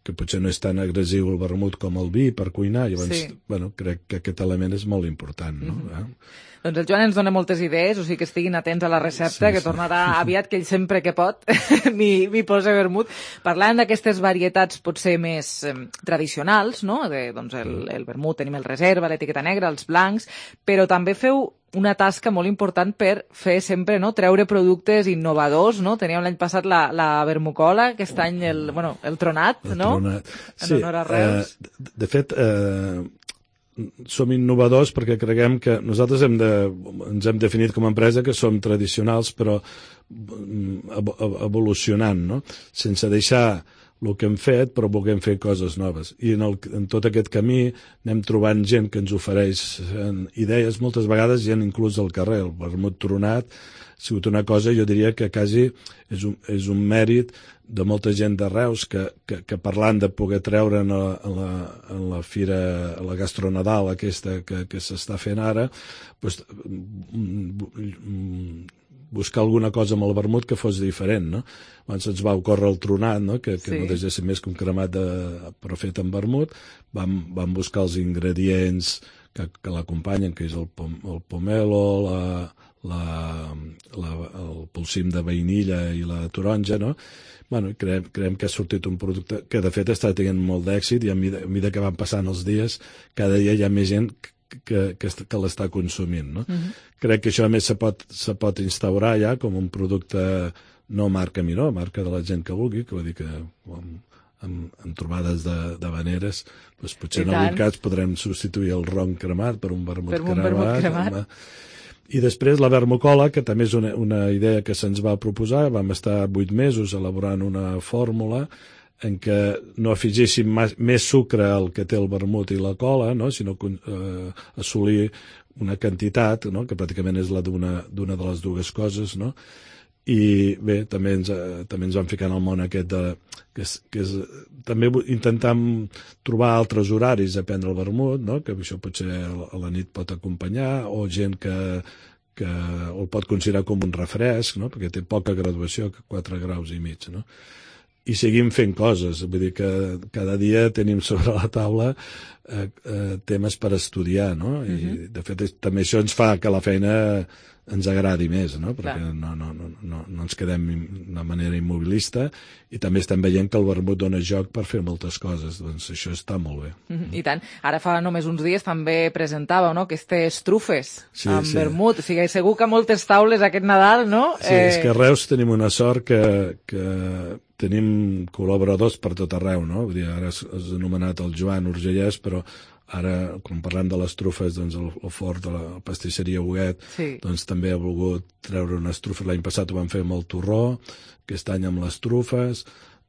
que potser no és tan agressiu el vermut com el vi per cuinar, i llavors, sí. bueno, crec que aquest element és molt important, no? Mm-hmm. eh? Doncs el Joan ens dona moltes idees, o sigui que estiguin atents a la recepta, sí, que sí. tornarà aviat, que ell sempre que pot m'hi posa vermut. Parlant d'aquestes varietats potser més eh, tradicionals, no? De, doncs el, el vermut, tenim el reserva, l'etiqueta negra, els blancs, però també feu una tasca molt important per fer sempre, no?, treure productes innovadors, no? Teníem l'any passat la, la vermucola, aquest any el, bueno, el tronat, el no? Tronat. En sí, honor a Reus. Eh, de fet, eh, som innovadors perquè creguem que nosaltres hem de, ens hem definit com a empresa que som tradicionals però evolucionant, no? Sense deixar el que hem fet, però volem fer coses noves. I en, el, en tot aquest camí anem trobant gent que ens ofereix idees, moltes vegades gent inclús al carrer. El vermut tronat ha sigut una cosa, jo diria que quasi és un, és un mèrit de molta gent de Reus que, que, que parlant de poder treure en la, en la, en la fira, a la Gastronadal aquesta que, que s'està fent ara, doncs, buscar alguna cosa amb el vermut que fos diferent, no? Abans ens va ocórrer el tronat, no? Que, que sí. No deixa ser més que un cremat de, però fet amb vermut. Vam, vam buscar els ingredients que, que l'acompanyen, que és el, pom, el pomelo, la, la, la, el polsim de vainilla i la taronja, no? Bueno, creiem, creiem que ha sortit un producte que de fet està tenint molt d'èxit i a mida, a mida que van passant els dies, cada dia hi ha més gent que, que, que l'està consumint, no? Uh-huh. Crec que això a més se pot, se pot instaurar ja com un producte no marca Miró, marca de la gent que vulgui, que vol dir que amb, amb, amb trobades de, de veneres doncs potser I en tant. Algun cas podrem substituir el ron cremat per un vermut per un cremat. Vermut cremat. Amb, I després la vermucola, que també és una, una idea que se'ns va proposar, vam estar vuit mesos elaborant una fórmula en què no afegéssim més, més sucre al que té el vermut i la cola, no? Sinó eh, assolir una quantitat, no? Que pràcticament és la d'una d'una de les dues coses, no? I bé, també ens, eh, també ens vam ficar en el món aquest de, que és, que és també intentam trobar altres horaris a prendre el vermut, no? Que això potser a la nit pot acompanyar, o gent que, que el pot considerar com un refresc, no? Perquè té poca graduació, quatre graus i mig, no? I seguim fent coses, vull dir que cada dia tenim sobre la taula eh, eh, temes per estudiar, no? I uh-huh. de fet també això ens fa que la feina ens agradi més, no? Perquè no, no, no, no, no ens quedem de manera immobilista i també estem veient que el vermut dona joc per fer moltes coses, doncs això està molt bé. Mm-hmm. I tant. Ara fa només uns dies també presentàveu, no?, aquestes trufes sí, amb sí. vermut. O sigui, segur que a moltes taules aquest Nadal, no? Sí, eh... és que a Reus tenim una sort que, que tenim col·laboradors per tot arreu, no? Vull dir, ara has anomenat el Joan Urgellès, però ara, quan parlem de les trufes, doncs el, el fort de la pastisseria Huguet, sí. doncs també ha volgut treure unes trufes. L'any passat ho van fer amb el torró, aquest any amb les trufes,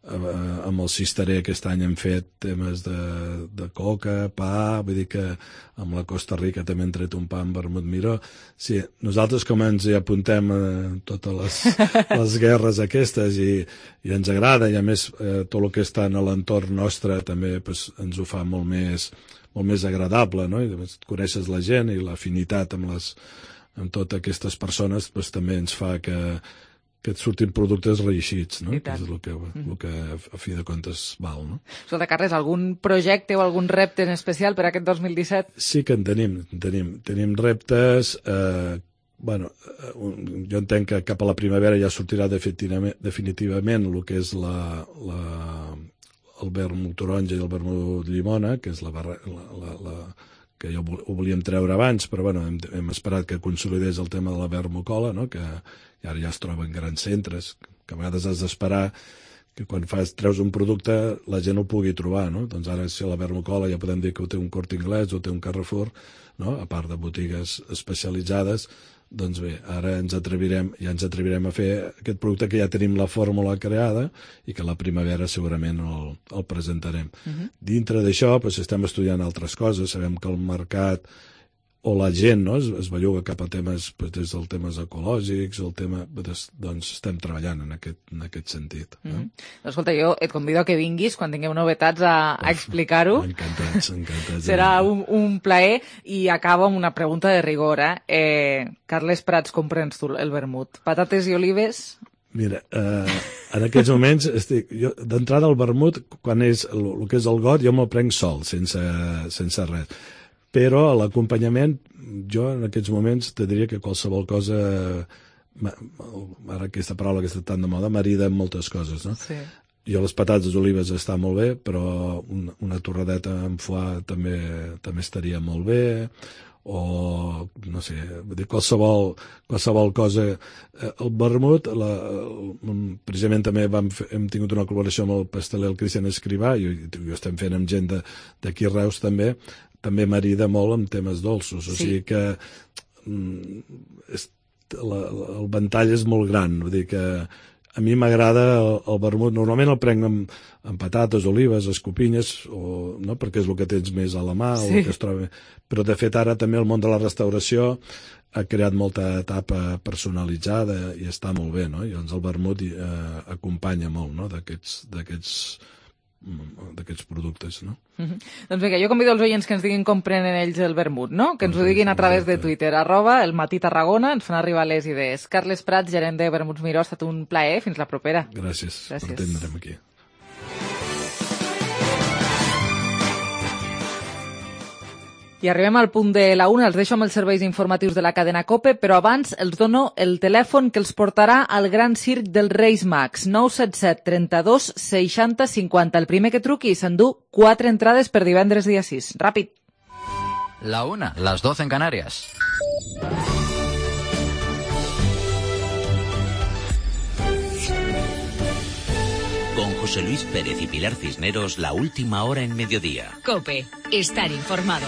eh, amb el cisterer aquest any hem fet temes de, de coca, pa, vull dir que amb la Costa Rica també hem tret un pa amb vermut Miró. Sí, nosaltres com ens hi apuntem a totes les, les guerres aquestes i, i ens agrada, i a més eh, tot el que està en l'entorn nostre també pues, ens ho fa molt més molt més agradable, no? I doncs, coneixes la gent i l'afinitat amb, les, amb totes aquestes persones doncs, també ens fa que, que et surtin productes reeixits, no? Que és el que, el que a fi de comptes val, no? Escolta, Carles, algun projecte o algun repte en especial per aquest dos mil disset? Sí que en tenim, tenim, tenim reptes. Eh, bueno, jo entenc que cap a la primavera ja sortirà definitivament, definitivament el que és la... la el vermut taronja i el vermut llimona, que és la, barra, la, la, la que ja ho volíem treure abans, però bueno, hem, hem esperat que consolidés el tema de la vermucola, no? Que ara ja es troba en grans centres, que a vegades has d'esperar que quan fas, treus un producte la gent ho pugui trobar, no? Doncs ara si la vermucola ja podem dir que ho té un Corte Inglés o té un Carrefour, no? A part de botigues especialitzades, doncs bé, ara ens atrevirem, ja ens atrevirem a fer aquest producte que ja tenim la fórmula creada i que a la primavera segurament el, el presentarem. Uh-huh. Dintre d'això doncs, estem estudiant altres coses, sabem que el mercat o la gent no, es, es belluga cap a temes, doncs, des dels temes ecològics, el tema, doncs estem treballant en aquest, en aquest sentit. No? Mm-hmm. Doncs, escolta, jo et convido a que vinguis quan tinguem novetats a, a explicar-ho. Encantats, encantats. Serà un, un plaer. I acabo amb una pregunta de rigor. Eh? Eh, Carles Prats, com prens tu el vermut? Patates i olives? Mira, eh, en aquests moments estic, jo, d'entrada el vermut, quan és el, el que és el got, jo me'l prenc sol, sense, sense res. Però a l'acompanyament, jo en aquests moments te diria que qualsevol cosa, ara aquesta paraula que està tan de moda, marida amb moltes coses, no? Sí. Jo les patates olives està molt bé, però una, una torradeta amb foie també, també estaria molt bé, o no sé, qualsevol, qualsevol cosa. El vermut, la, el, precisament també vam fer, hem tingut una col·laboració amb el pasteler el Cristian Escrivà, i ho estem fent amb gent d'aquí a Reus també, també marida molt amb temes dolços, o sí. sigui que mm, és, la, la, el ventall és molt gran, vull dir que a mi m'agrada el, el vermut, normalment el prenc amb, amb patates, olives, escopinyes, o, no? Perquè és el que tens més a la mà, sí. o el que es troba. Però de fet ara també el món de la restauració ha creat molta etapa personalitzada i està molt bé, no? I doncs el vermut eh, acompanya molt, no? d'aquests d'aquests productes, no? Uh-huh. Doncs vinga, jo convido els oients que ens diguin com prenen ells el vermut, no? Que ens ho diguin a través de Twitter, arroba el Matí Tarragona, ens fan arribar les idees. Carles Prats, gerent de Vermuts Miró, ha estat un plaer, fins la propera. Gràcies, Gràcies. per atendre'm aquí. I arribem al punt de la una, els deixo amb els serveis informatius de la cadena COPE, però abans els dono el telèfon que els portarà al Gran Circ dels Reis Mags, nou set set trenta-dos seixanta cinquanta. El primer que truqui s'endú quatre entrades per divendres dia sis. Ràpid. La una, las doce en Canarias. Con José Luis Pérez y Pilar Cisneros, la última hora en mediodía. COPE, estar informado.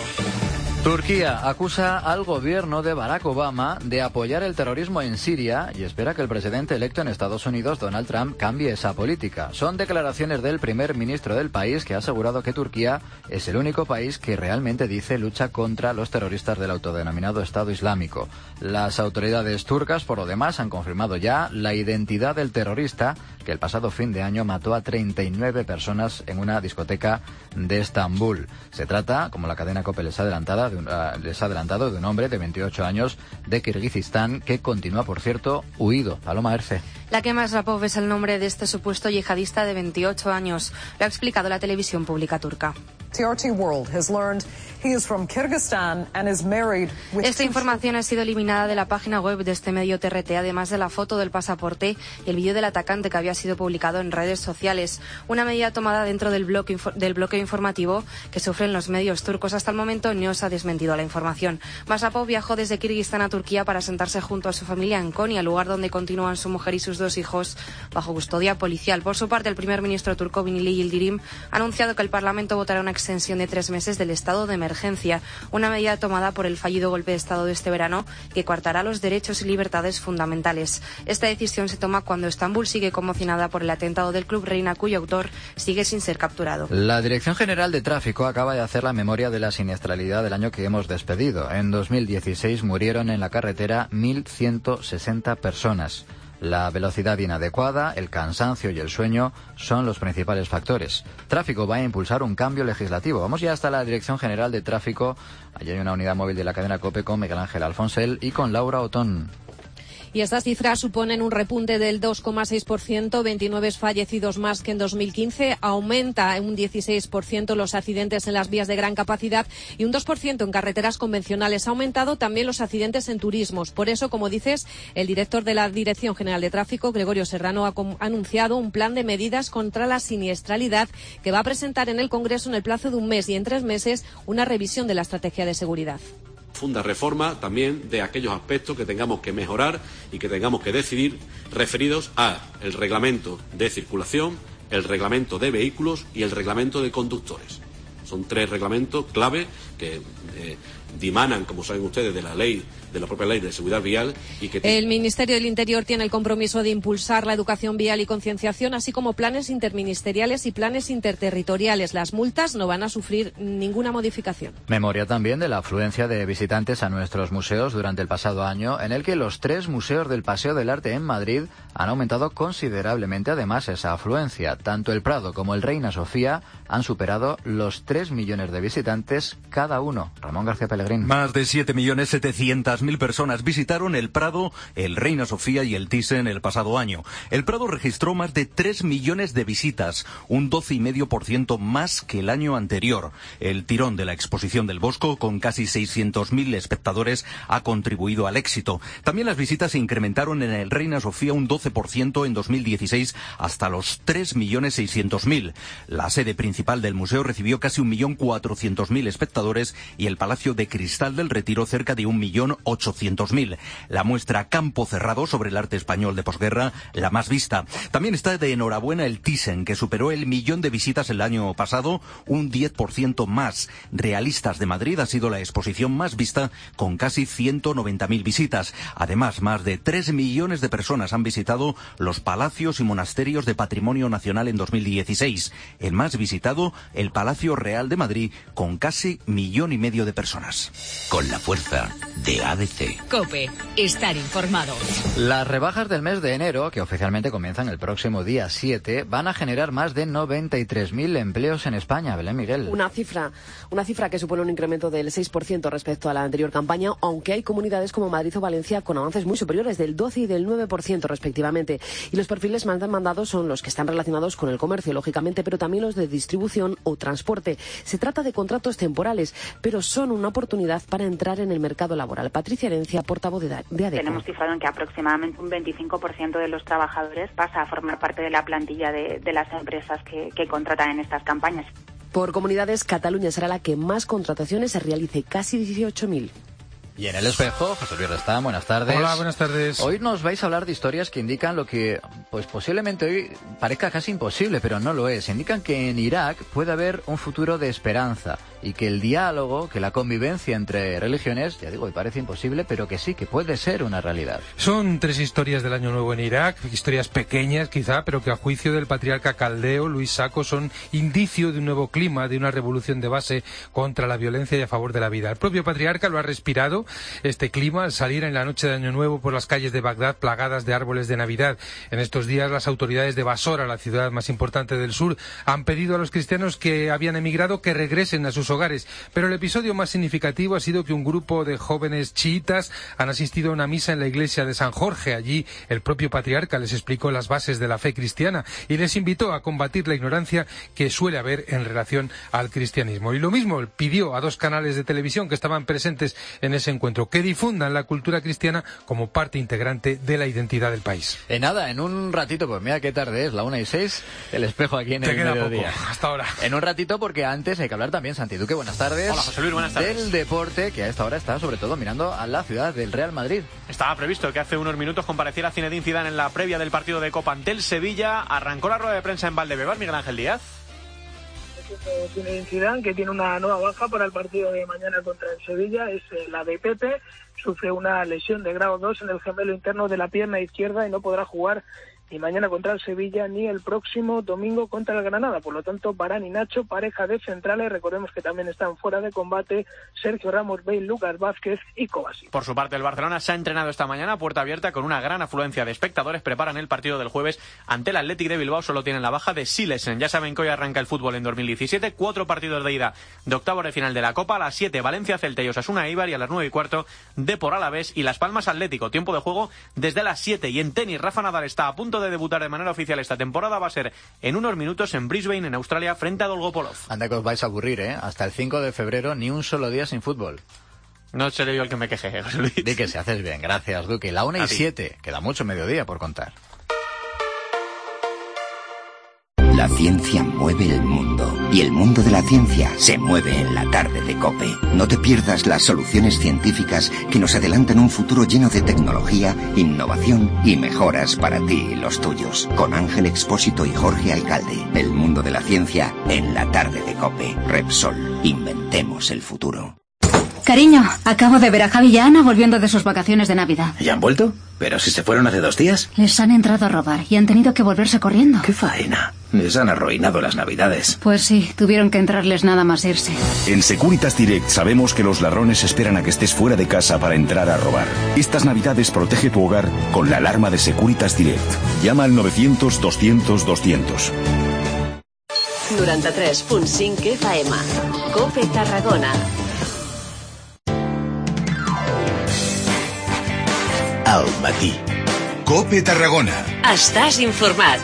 Turquía acusa al gobierno de Barack Obama de apoyar el terrorismo en Siria y espera que el presidente electo en Estados Unidos, Donald Trump, cambie esa política. Son declaraciones del primer ministro del país, que ha asegurado que Turquía es el único país que realmente dice lucha contra los terroristas del autodenominado Estado Islámico. Las autoridades turcas, por lo demás, han confirmado ya la identidad del terrorista que el pasado fin de año mató a treinta y nueve personas en una discoteca de Estambul. Se trata, como la cadena COPE les ha adelantado, de un, uh, les ha adelantado, de un hombre de veintiocho años de Kirguistán que continúa, por cierto, huido. Paloma Erce. Lakem Ashrapov es el nombre de este supuesto yihadista de veintiocho años. Lo ha explicado la televisión pública turca. Esta información ha sido eliminada de la página web de este medio T R T, además de la foto del pasaporte y el vídeo del atacante que había sido publicado en redes sociales. Una medida tomada dentro del bloque, del bloqueo informativo que sufren los medios turcos. Hasta el momento no se ha desmentido la información. Mashrapov viajó desde Kirguistán a Turquía para sentarse junto a su familia en Konya, lugar donde continúan su mujer y sus dos hijos bajo custodia policial. Por su parte, el primer ministro turco Binali Yildirim ha anunciado que el Parlamento votará una extensión de tres meses del estado de emergencia, una medida tomada por el fallido golpe de Estado de este verano que coartará los derechos y libertades fundamentales. Esta decisión se toma cuando Estambul sigue conmocionada por el atentado del Club Reina, cuyo autor sigue sin ser capturado. La Dirección General de Tráfico acaba de hacer la memoria de la siniestralidad del año que hemos despedido. En dos mil dieciséis murieron en la carretera mil ciento sesenta personas. La velocidad inadecuada, el cansancio y el sueño son los principales factores. Tráfico va a impulsar un cambio legislativo. Vamos ya hasta la Dirección General de Tráfico. Allí hay una unidad móvil de la cadena COPE con Miguel Ángel Alfonsel y con Laura Otón. Y estas cifras suponen un repunte del dos coma seis por ciento, veintinueve fallecidos más que en dos mil quince. Aumenta un dieciséis por ciento los accidentes en las vías de gran capacidad y un dos por ciento en carreteras convencionales. Ha aumentado también los accidentes en turismos. Por eso, como dices, el director de la Dirección General de Tráfico, Gregorio Serrano, ha anunciado un plan de medidas contra la siniestralidad que va a presentar en el Congreso en el plazo de un mes y en tres meses una revisión de la estrategia de seguridad. Funda reforma también de aquellos aspectos que tengamos que mejorar y que tengamos que decidir referidos a el reglamento de circulación, el reglamento de vehículos y el reglamento de conductores. Son tres reglamentos clave que eh, dimanan, como saben ustedes, de la ley, de la propia ley de seguridad vial y que el Ministerio del Interior tiene el compromiso de impulsar la educación vial y concienciación, así como planes interministeriales y planes interterritoriales. Las multas no van a sufrir ninguna modificación. Memoria también de la afluencia de visitantes a nuestros museos durante el pasado año, en el que los tres museos del Paseo del Arte en Madrid han aumentado considerablemente además esa afluencia. Tanto el Prado como el Reina Sofía han superado los tres millones de visitantes cada uno. Ramón García Pellegrín. Más de siete millones setecientas mil personas visitaron el Prado, el Reina Sofía y el Thyssen el pasado año. El Prado registró más de tres millones de visitas, un doce coma cinco por ciento más que el año anterior. El tirón de la exposición del Bosco, con casi seiscientos mil espectadores, ha contribuido al éxito. También las visitas se incrementaron en el Reina Sofía un doce por ciento en dos mil dieciséis hasta los tres millones seiscientos mil. La sede principal del museo recibió casi un millón cuatrocientos mil espectadores espectadores y el Palacio de Cristal del Retiro cerca de un millón ochocientos mil. La muestra Campo Cerrado sobre el arte español de posguerra, la más vista. También está de enhorabuena el Thyssen, que superó el millón de visitas el año pasado, un diez por ciento más. Realistas de Madrid ha sido la exposición más vista, con casi ciento noventa mil visitas. Además, más de tres millones de personas han visitado los palacios y monasterios de Patrimonio Nacional en dos mil dieciséis. El más visitado, el Palacio Real de Madrid, con casi millón y medio de personas. Con la fuerza de A D C. COPE. Estar informado. Las rebajas del mes de enero, que oficialmente comienzan el próximo día siete, van a generar más de noventa y tres mil empleos en España. Belén Miguel. Una cifra, una cifra que supone un incremento del seis por ciento respecto a la anterior campaña, aunque hay comunidades como Madrid o Valencia con avances muy superiores del doce y del nueve por ciento respectivamente. Y los perfiles más demandados son los que están relacionados con el comercio, lógicamente, pero también los de distribución o transporte. Se trata de contratos temporales, pero son una oportunidad para entrar en el mercado laboral. Patricia Herencia, portavoz de ADECO. Tenemos cifrado en que aproximadamente un veinticinco por ciento de los trabajadores pasa a formar parte de la plantilla de, de las empresas que, que contratan en estas campañas. Por comunidades, Cataluña será la que más contrataciones se realice, casi dieciocho mil. Y en El Espejo, José Luis Restán, buenas tardes. Hola, buenas tardes. Hoy nos vais a hablar de historias que indican lo que, pues posiblemente hoy parezca casi imposible, pero no lo es. Indican que en Irak puede haber un futuro de esperanza y que el diálogo, que la convivencia entre religiones, ya digo, parece imposible, pero que sí, que puede ser una realidad. Son tres historias del Año Nuevo en Irak, historias pequeñas quizá, pero que a juicio del patriarca caldeo, Luis Sacco, son indicio de un nuevo clima, de una revolución de base contra la violencia y a favor de la vida. El propio patriarca lo ha respirado, este clima, al salir en la noche de Año Nuevo por las calles de Bagdad plagadas de árboles de Navidad. En estos días las autoridades de Basora, la ciudad más importante del sur, han pedido a los cristianos que habían emigrado que regresen a sus hogares. Pero el episodio más significativo ha sido que un grupo de jóvenes chiitas han asistido a una misa en la iglesia de San Jorge. Allí el propio patriarca les explicó las bases de la fe cristiana y les invitó a combatir la ignorancia que suele haber en relación al cristianismo. Y lo mismo pidió a dos canales de televisión que estaban presentes en ese encuentro, que difundan la cultura cristiana como parte integrante de la identidad del país. En nada, en un ratito, pues mira qué tarde es, la una y seis, El Espejo aquí en Te el queda mediodía. Poco, hasta ahora. En un ratito, porque antes hay que hablar también, Santi Duque, buenas tardes. Hola, José Luis, buenas tardes. Del deporte, que a esta hora está sobre todo mirando a la ciudad del Real Madrid. Estaba previsto que hace unos minutos compareciera Zinedine Zidane en la previa del partido de Copa ante el Sevilla. Arrancó la rueda de prensa en Valdebebas, Miguel Ángel Díaz. Zinedine Zidane, que tiene una nueva baja para el partido de mañana contra el Sevilla, es la de Pepe. Sufre una lesión de grado dos en el gemelo interno de la pierna izquierda y no podrá jugar ni mañana contra el Sevilla ni el próximo domingo contra el Granada. Por lo tanto, Varane y Nacho, pareja de centrales. Recordemos que también están fuera de combate Sergio Ramos, Bale, Lucas Vázquez y Kovacic. Por su parte, el Barcelona se ha entrenado esta mañana a puerta abierta con una gran afluencia de espectadores. Preparan el partido del jueves ante el Athletic de Bilbao. Solo tienen la baja de Silesen. Ya saben que hoy arranca el fútbol en dos mil diecisiete. Cuatro partidos de ida de octavos de final de la Copa. A las siete, Valencia, Celta y Osasuna Eibar. Y a las nueve y cuarto, Depor Alavés y Las Palmas Atlético. Tiempo de juego desde las siete. Y en tenis, Rafa Nadal está a punto de debutar de manera oficial esta temporada. Va a ser en unos minutos en Brisbane, en Australia, frente a Dolgopolov. Anda que os vais a aburrir, ¿eh? Hasta el cinco de febrero ni un solo día sin fútbol. No seré yo el que me queje, José Luis. Di que se haces bien, gracias, Duque. La una y siete, queda mucho mediodía por contar. La ciencia mueve el mundo y el mundo de la ciencia se mueve en la tarde de COPE. No te pierdas las soluciones científicas que nos adelantan un futuro lleno de tecnología, innovación y mejoras para ti y los tuyos. Con Ángel Expósito y Jorge Alcalde. El mundo de la ciencia en la tarde de COPE. Repsol. Inventemos el futuro. Cariño, acabo de ver a Javi y a Ana volviendo de sus vacaciones de Navidad. ¿Ya han vuelto? ¿Pero si se fueron hace dos días? Les han entrado a robar y han tenido que volverse corriendo. ¡Qué faena! Les han arruinado las Navidades. Pues sí, tuvieron que entrarles nada más irse. En Securitas Direct sabemos que los ladrones esperan a que estés fuera de casa para entrar a robar. Estas Navidades protege tu hogar con la alarma de Securitas Direct. Llama al novecientos doscientos doscientos. noranta-tres punt cinc F M. COPE Tarragona. Al matí. COPE Tarragona. Estàs informat.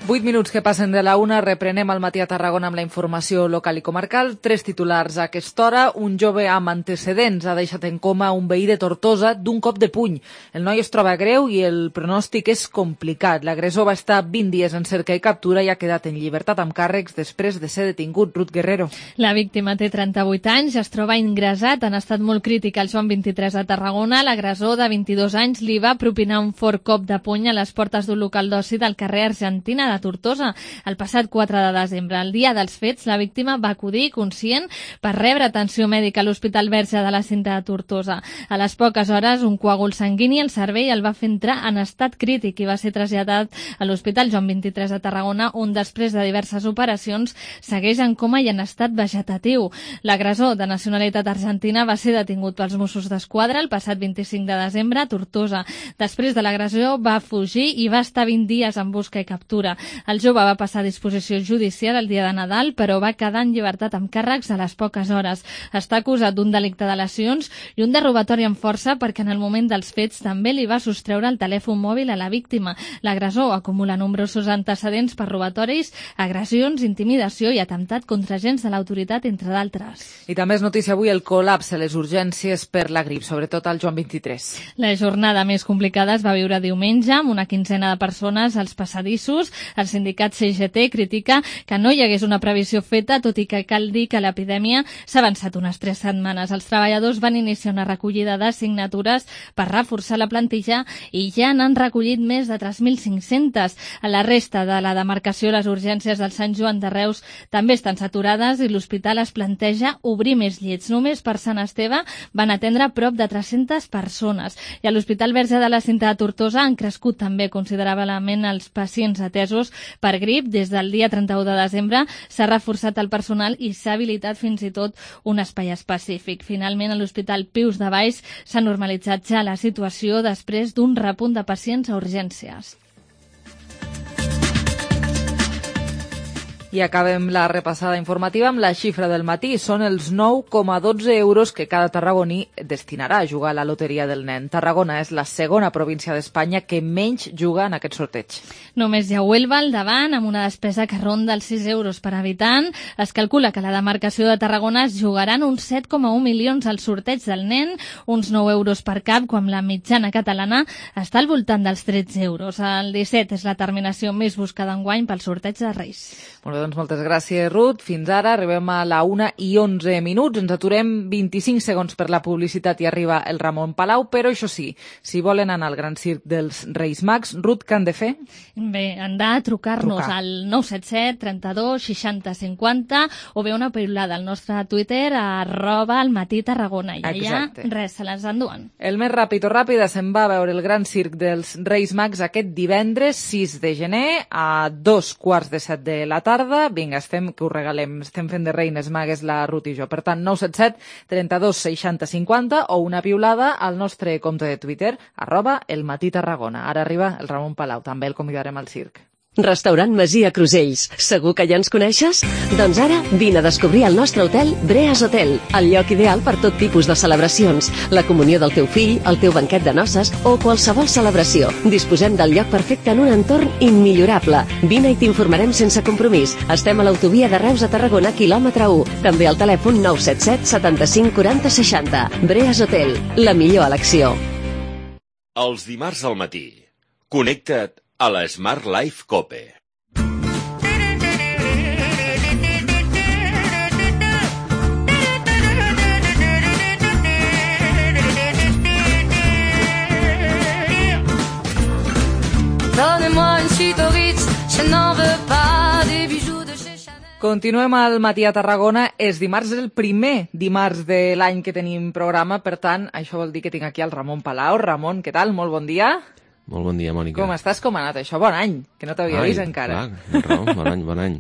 Vuit minuts que passen de la una, reprenem al matí a Tarragona amb la informació local i comarcal. Tres titulars a aquesta hora. Un jove amb antecedents ha deixat en coma un veí de Tortosa d'un cop de puny. El noi es troba greu i el pronòstic és complicat. L'agressor va estar vint dies en cerca i captura i ha quedat en llibertat amb càrrecs després de ser detingut. Ruth Guerrero. La víctima té trenta-vuit anys, es troba ingressat en estat molt crític al Joan vint-i-tres de Tarragona. L'agressor de vint-i-dos anys li va propinar un fort cop de puny a les portes d'un local d'oci del carrer Argentina de Tortosa el passat quatre de desembre. El dia dels fets, la víctima va acudir conscient per rebre atenció mèdica a l'Hospital Verge de la Cinta de Tortosa. A les poques hores, un coàgul sanguini al cervell el va fer entrar en estat crític i va ser traslladat a l'Hospital Joan vint-i-tres de Tarragona, on després de diverses operacions segueix en coma i en estat vegetatiu. L'agressor, de nacionalitat argentina, va ser detingut pels Mossos d'Esquadra el passat vint-i-cinc de desembre a Tortosa. Després de l'agressió va fugir i va estar vint dies en busca i captura. El jove va passar a disposició judicial el dia de Nadal, però va quedar en llibertat amb càrrecs a les poques hores. Està acusat d'un delicte de lesions i un de robatori amb força perquè en el moment dels fets també li va sostreure el telèfon mòbil a la víctima. L'agressor acumula nombrosos antecedents per robatoris, agressions, intimidació i atemptat contra agents de l'autoritat, entre d'altres. I també és notícia avui el col·lapse a les urgències per la grip, sobretot al Joan vint-i-tres. La jornada més complicada es va viure diumenge amb una quinzena de persones als passadissos. El sindicat C G T critica que no hi hagués una previsió feta, tot i que cal dir que l'epidèmia s'ha avançat unes tres setmanes. Els treballadors van iniciar una recollida de signatures per reforçar la plantilla i ja n'han recollit més de tres mil cinc-centes. A la resta de la demarcació, les urgències del Sant Joan de Reus també estan saturades i l'hospital es planteja obrir més llits. Només per Sant Esteve van atendre prop de tres-centes persones. I a l'Hospital Verge de la Cinta de Tortosa han crescut també considerablement els pacients atesos per grip. Des del dia trenta-u de desembre s'ha reforçat el personal i s'ha habilitat fins i tot un espai específic. Finalment, a l'Hospital Pius de Valls s'ha normalitzat ja la situació després d'un repunt de pacients a urgències. I acabem la repassada informativa amb la xifra del matí. Són els nou coma dotze euros que cada tarragoní destinarà a jugar a la loteria del nen. Tarragona és la segona província d'Espanya que menys juga en aquest sorteig. Només hi ha Huelva al davant, amb una despesa que ronda els sis euros per habitant. Es calcula que a la demarcació de Tarragona es jugaran uns set coma un milions al sorteig del nen, uns nou euros per cap, quan la mitjana catalana està al voltant dels tretze euros. El disset és la terminació més buscada enguany pel sorteig de Reis. Molt bé, doncs moltes gràcies, Ruth. Fins ara arribem a la una i onze minuts. Ens aturem vint-i-cinc segons per la publicitat i arriba el Ramon Palau, però això sí, si volen anar al Gran Circ dels Reis Mags, Ruth, què han de fer? Bé, han de trucar-nos Trucar. al nou set set trenta-dos seixanta cinquanta o bé una piulada al nostre Twitter a arroba al matí Tarragona. I allà, res, se les enduen. El més ràpid o ràpida se'n va a veure el Gran Circ dels Reis Mags aquest divendres sis de gener a dos quarts de set de la tarda. Vinga, estem, que ho regalem, estem fent de reines magues la Ruth i jo. Per tant, nou set set trenta-dos seixanta cinquanta o una piulada al nostre compte de Twitter, arroba el matí Tarragona. Ara arriba el Ramon Palau, també el convidarem al circ. Restaurant Masia Crusells. Segur que ja ens coneixes? Doncs ara vine a descobrir el nostre hotel Breas Hotel, el lloc ideal per tot tipus de celebracions, la comunió del teu fill, el teu banquet de noces o qualsevol celebració. Disposem del lloc perfecte en un entorn immillorable. Vine i t'informarem sense compromís. Estem a l'autovia de Reus a Tarragona, quilòmetre u. També al telèfon nou set set setanta-cinc quaranta seixanta. Breas Hotel, la millor elecció. Els dimarts al matí, connecta't a la Smart Life Cope. Donnez-moi une suite au Ritz, je n'en veux pas des bijoux de chez Chanel. Continuem al matí a Tarragona. És dimarts, el primer dimarts de l'any que tenim programa, per tant, això vol dir que tinc aquí el Ramon Palau. Ramon, què tal? Molt bon dia. Molt bon dia, Mònica. Com estàs? Com ha anat això? Bon any, que no t'havia vist encara. Clar, raó, bon any, bon any.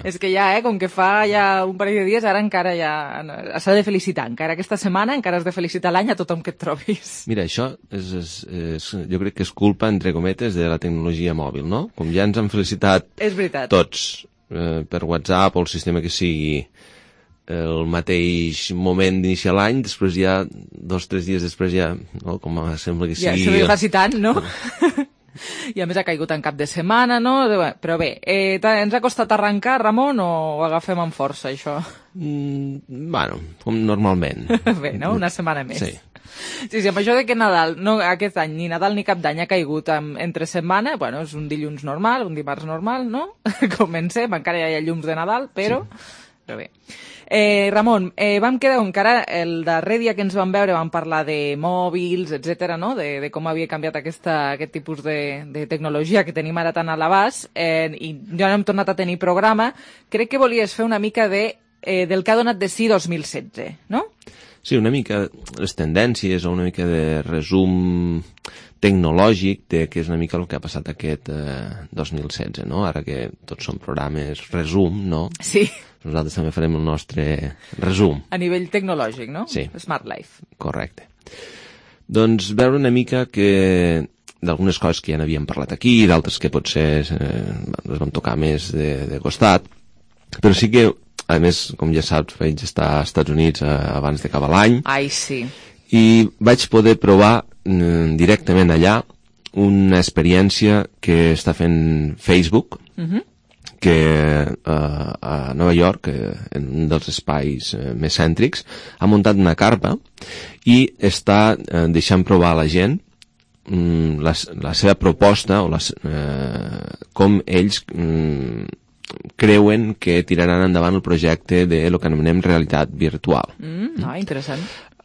És que ja, eh, com que fa ja un parell de dies, ara encara ja s'ha de felicitar. Encara aquesta setmana encara has de felicitar l'any a tothom que et trobis. Mira, això és, és, és, jo crec que és culpa, entre cometes, de la tecnologia mòbil, no? Com ja ens han felicitat és veritat. tots eh, per WhatsApp o el sistema que sigui el mateix moment d'iniciar l'any, després ja, dos o tres dies després ja, no, com sembla que sigui... Ja, se li faci tant, no? I a més ha caigut en cap de setmana, no? Però bé, eh, ens ha costat arrencar, Ramon, o ho agafem amb força, això? Mm, bueno, com normalment. Bé, no? Una setmana més. Sí. Sí, sí, amb això de que Nadal, no, aquest any, ni Nadal ni cap d'any ha caigut amb, entre setmana, bueno, és un dilluns normal, un dimarts normal, no? Comencem, encara hi ha llums de Nadal, però... Sí. Però bé. Eh, Ramon, eh, vam quedar encara el darrer dia que ens vam veure vam parlar de mòbils, etcètera, no? De, de com havia canviat aquesta, aquest tipus de, de tecnologia que tenim ara tan a l'abast, eh, i ja no hem tornat a tenir programa. Crec que volies fer una mica de, eh, del que ha donat de si dos mil setze, no? Sí, una mica les tendències o una mica de resum tecnològic de què és una mica el que ha passat aquest eh, dos mil setze, no? Ara que tots són programes resum, no? Sí. Nosaltres també farem el nostre resum. A nivell tecnològic, no? Sí. Smart Life. Correcte. Doncs veure una mica que d'algunes coses que ja n'havíem parlat aquí, d'altres que potser eh, les vam tocar més de, de costat, però sí que, a més, com ja saps, vaig estar als Estats Units eh, abans d'acabar l'any. Ai, sí. I vaig poder provar eh, directament allà una experiència que està fent Facebook, Uh-huh. que eh, a Nova York, eh, en un dels espais eh, més cèntrics, ha muntat una carpa i està eh, deixant provar a la gent mm, la, la seva proposta o les, eh, com ells mm, creuen que tiraran endavant el projecte de lo que anomenem realitat virtual. Mm, ah, interessant.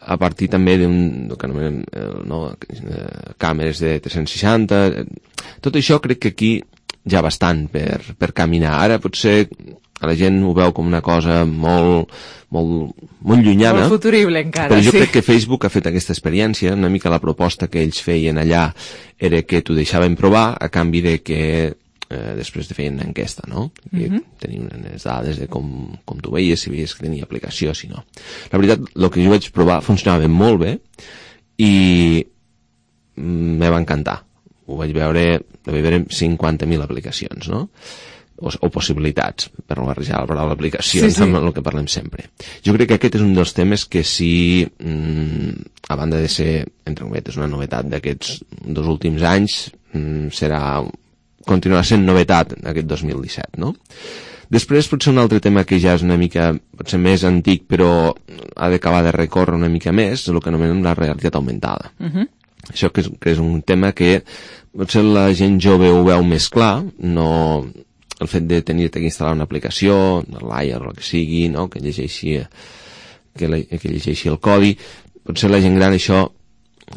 A partir també d'un que anomenem no, càmeres de tres-cents seixanta. Tot això crec que aquí ja bastant per, per caminar. Ara potser la gent ho veu com una cosa molt, molt, molt llunyana. Molt futurible encara, però jo sí. crec que Facebook ha fet aquesta experiència. Una mica la proposta que ells feien allà era que t'ho deixaven provar a canvi de que eh, després de feien una enquesta, no? I Mhm. tenien unes dades de com, com tu veies, si veies que tenia aplicació, si no. La veritat, el que jo vaig provar funcionava molt bé i mm, me va encantar. Ho vaig veure, ho vaig veure cinquanta mil aplicacions, no? O, o possibilitats, per no barrejar la paraula aplicacions sí, sí. amb el que parlem sempre. Jo crec que aquest és un dels temes que sí, mmm, a banda de ser, entre cometes, una novetat d'aquests dos últims anys, mmm, serà, continuarà sent novetat aquest dos mil disset, no? Després potser un altre tema que ja és una mica, potser més antic, però ha d'acabar de recórrer una mica més, és el que anomenem la realitat augmentada. Uh-huh. Això que és, que és un tema que potser la gent jove ho veu més clar, no el fet de tenir-te que instal·lar una aplicació, l'Aia o el que sigui, no? que, llegeixi, que, la, que llegeixi el codi, potser la gent gran això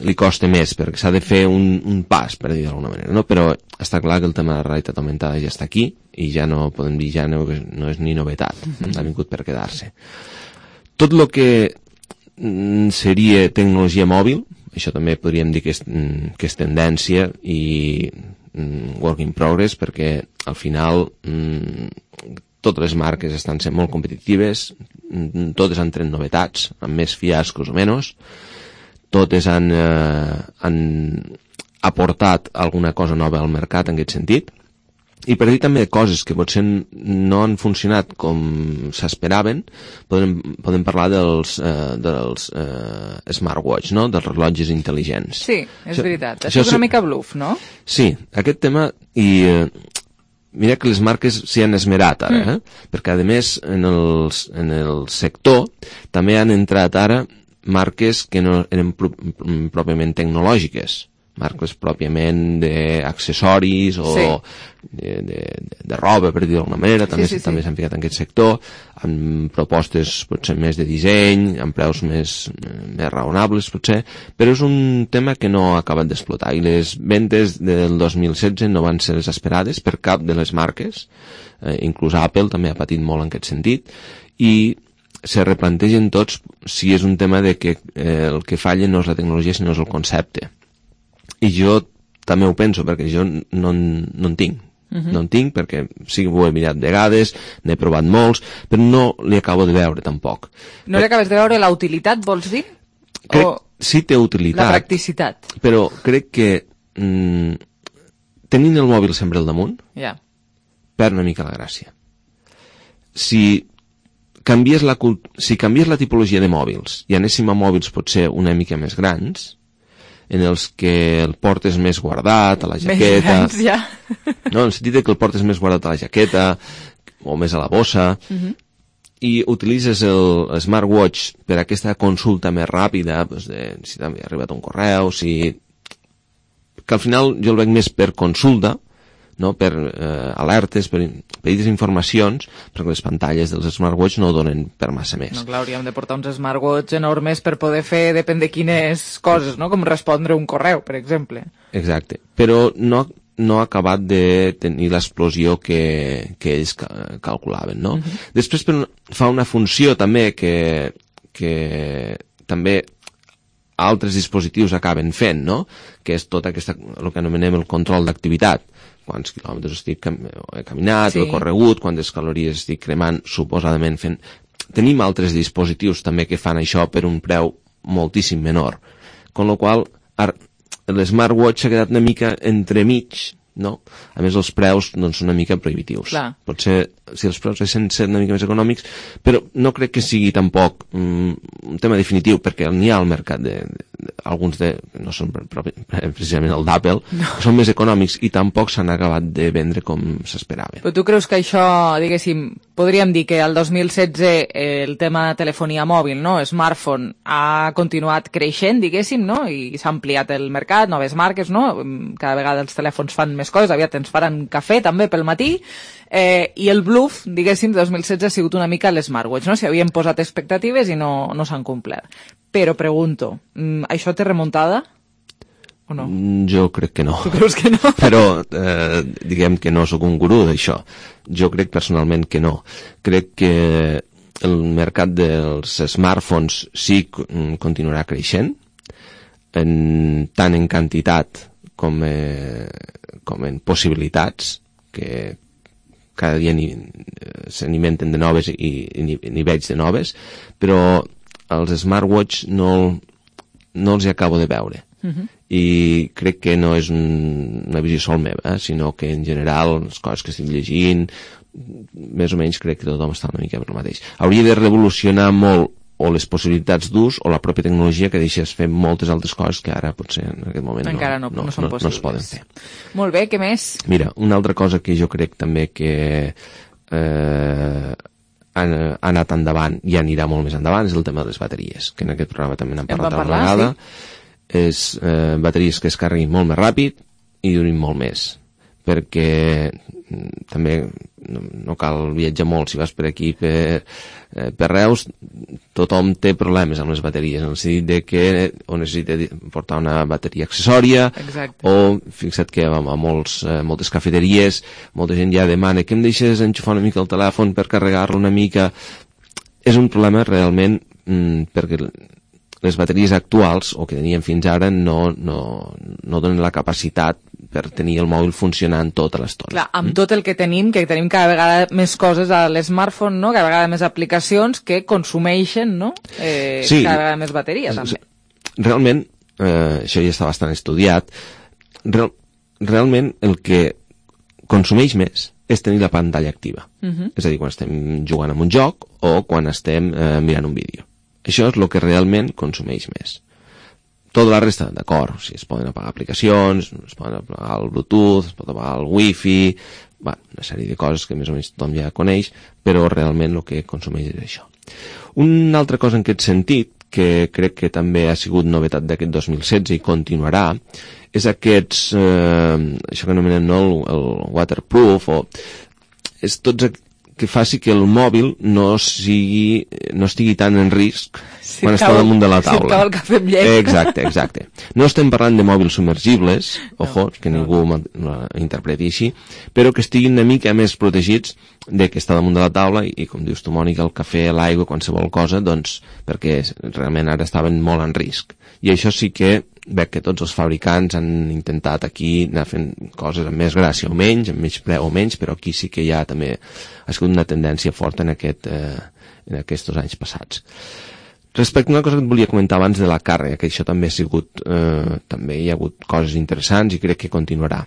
li costa més, perquè s'ha de fer un, un pas, per dir d'alguna manera, no? Però està clar que el tema de la realitat augmentada ja està aquí i ja no podem dir, ja no, no és ni novetat, mm-hmm. ha vingut per quedar-se. Tot el que mm, seria tecnologia mòbil, això també podríem dir que és, que és tendència i mm, work in progress, perquè al final mm, totes les marques estan sent molt competitives, mm, totes han tret novetats, amb més fiascos o menys, totes han, eh, han aportat alguna cosa nova al mercat en aquest sentit, i per dir també coses que potser no han funcionat com s'esperaven, podem, podem parlar dels, eh, dels eh, smartwatch, no? Dels rellotges intel·ligents. Sí, és això, veritat. Això és una mica bluff, no? Sí, aquest tema, i eh, mira que les marques s'hi han esmerat ara, mm. eh? perquè a més en, els, en el sector també han entrat ara marques que no eren pro, pròpiament tecnològiques, marques pròpiament d'accessoris o sí. de, de, de roba, per dir d'alguna manera, també sí, sí, també sí. s'han ficat en aquest sector, amb propostes potser més de disseny, amb preus més, més raonables potser, però és un tema que no ha acabat d'explotar, i les ventes del dos mil setze no van ser les esperades per cap de les marques, eh, inclús Apple també ha patit molt en aquest sentit, i se replantegen tots si és un tema de que eh, el que falla no és la tecnologia sinó és el concepte. I jo també ho penso, perquè jo no, no en tinc. Uh-huh. No en tinc perquè sí que ho he mirat vegades, n'he provat molts, però no li acabo de veure tampoc. No li acabes de veure la utilitat, vols dir? Crec, o sí té utilitat. La practicitat. Però crec que mm, tenint el mòbil sempre al damunt, yeah. perd una mica la gràcia. Si canvies la, si canvies la tipologia de mòbils i anéssim a mòbils potser una mica més grans, en els que el portes més guardat, a la jaqueta... Més grans, ja. No, en el sentit que el portes més guardat a la jaqueta o més a la bossa, Uh-huh. i utilitzes el, el smartwatch per aquesta consulta més ràpida, doncs de, si t'ha arribat un correu, si... que al final jo el veig més per consulta, no? Per eh, alertes, per petites informacions, perquè les pantalles dels smartwatch no donen per massa més. No, clar, hauríem de portar uns smartwatch enormes per poder fer, depèn de quines coses, no? Com respondre un correu, per exemple. Exacte, però no, no ha acabat de tenir l'explosió que, que ells ca calculaven, no? Uh-huh. Després però, fa una funció també que, que també altres dispositius acaben fent, no? Que és tot aquesta, el que anomenem el control d'activitat. Quants quilòmetres estic cam he caminat, sí. He corregut, quantes calories estic cremant, suposadament fent... Tenim altres dispositius també que fan això per un preu moltíssim menor. Con lo qual, l'smartwatch s'ha quedat una mica entremig, no? A més, els preus doncs, són una mica prohibitius. Clar. Potser, si els preus haguessin ser una mica més econòmics, però no crec que sigui tampoc um, un tema definitiu, perquè n'hi ha al mercat de, de, de, alguns de, no són propi, precisament el d'Apple, no. Són més econòmics i tampoc s'han acabat de vendre com s'esperaven. Però tu creus que això, diguéssim, podríem dir que el dos mil setze eh, el tema de telefonia mòbil, no? Smartphone, ha continuat creixent, diguéssim, no? I s'ha ampliat el mercat, noves marques, no? Cada vegada els telèfons fan més coses, aviat ens faran cafè també pel matí, eh, i el bluff, diguéssim, dos mil setze ha sigut una mica l'smartwatch, no? S'hi havien posat expectatives i no, no s'han complert. Però pregunto, això té remuntada o no? Jo crec que no. Tu creus que no? Però eh, diguem que no sóc un gurú d'això. Jo crec personalment que no. Crec que el mercat dels smartphones sí continuarà creixent, en, tant en quantitat com, eh, com en possibilitats, que cada dia se n'inventen de noves i, i n'hi veig de noves, però els smartwatch no, no els hi acabo de veure. Uh-huh. I crec que no és un, una visió sol meva, eh, sinó que en general les coses que estic llegint, més o menys crec que tothom està una mica per el mateix. Hauria de revolucionar molt o les possibilitats d'ús o la pròpia tecnologia que deixes fer moltes altres coses que ara potser en aquest moment encara no, no, no, són no, no es poden fer. Molt bé, què més? Mira, una altra cosa que jo crec també que eh, ha, ha anat endavant i anirà molt més endavant és el tema de les bateries, que en aquest programa també n'hem parlat una vegada. Sí. És eh, bateries que es carreguin molt més ràpid i durin molt més, perquè també no, no cal viatjar molt si vas per aquí per, eh, per Reus, tothom té problemes amb les bateries, en el sentit de que o necessita portar una bateria accessòria. Exacte. O fixa't que a, a molts, eh, moltes cafeteries molta gent ja demana que em deixes enxufar una mica el telèfon per carregar-lo una mica. És un problema realment mm, perquè les bateries actuals, o que teníem fins ara, no, no, no donen la capacitat per tenir el mòbil funcionant tota l'estona. Clar, amb mm? tot el que tenim, que tenim cada vegada més coses a l'smartphone, no? Cada vegada més aplicacions que consumeixen, no? Eh, sí, cada vegada més bateria, també. Realment, eh, això ja està bastant estudiat, real, realment el que consumeix més és tenir la pantalla activa. Uh-huh. És a dir, quan estem jugant amb un joc o quan estem eh, mirant un vídeo. Això és el que realment consumeix més. Tota la resta, d'acord, si es poden apagar aplicacions, es poden apagar el Bluetooth, es pot apagar el Wi-Fi, bueno, una sèrie de coses que més o menys tothom ja coneix, però realment el que consumeix és això. Una altra cosa en aquest sentit, que crec que també ha sigut novetat d'aquest dos mil setze i continuarà, és aquests, eh, això que anomenem no, el, el waterproof, o és tots aquests que faci que el mòbil no sigui, no estigui tan en risc si quan està damunt de la taula. Si cau el cafè amb llet. Exacte, exacte. No estem parlant de mòbils submergibles, ojo, no, que ningú no. interpreti així, però que estiguin una mica més protegits de que està damunt de la taula i, com dius tu, Mònica, el cafè, l'aigua, qualsevol cosa, doncs, perquè realment ara estaven molt en risc. I això sí que veig que tots els fabricants han intentat aquí anar fent coses amb més gràcia o menys, amb menys preu o menys, però aquí sí que ja també ha sigut una tendència forta en, aquest, eh, en aquests anys passats. Respecte a una cosa que et volia comentar abans de la càrrega, que això també ha sigut, eh, també hi ha hagut coses interessants i crec que continuarà,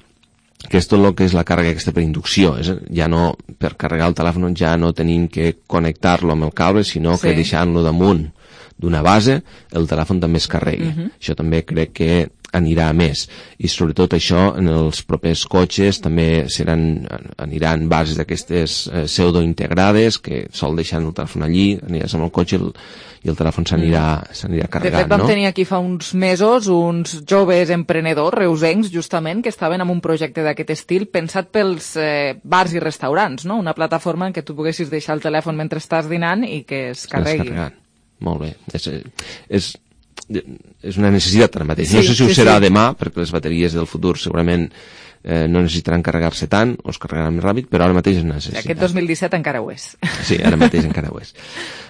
que és tot el que és la càrrega aquesta per inducció, és, ja no, per carregar el telèfon ja no tenim que connectar-lo amb el cable, sinó sí. que deixant-lo damunt d'una base, el telèfon també es carrega. Uh-huh. Això també crec que anirà a més, i sobretot això en els propers cotxes també seran, aniran bases d'aquestes eh, pseudointegrades que sol deixar el telèfon allí, aniràs amb el cotxe i el, i el telèfon s'anirà s'anirà carregant, de fet, vam no? tenir aquí fa uns mesos uns joves emprenedors reusencs, justament, que estaven en un projecte d'aquest estil pensat pels eh, bars i restaurants, no? Una plataforma en què tu poguessis deixar el telèfon mentre estàs dinant i que es carregui. Carregant. Molt bé. És, és, és una necessitat ara mateix. Sí, no sé si ho sí, serà sí. demà, perquè les bateries del futur segurament eh, no necessitaran carregar-se tant, o es carregaran més ràpid, però ara mateix és una necessitat. Aquest dos mil disset encara ho és. Sí, ara mateix encara ho és.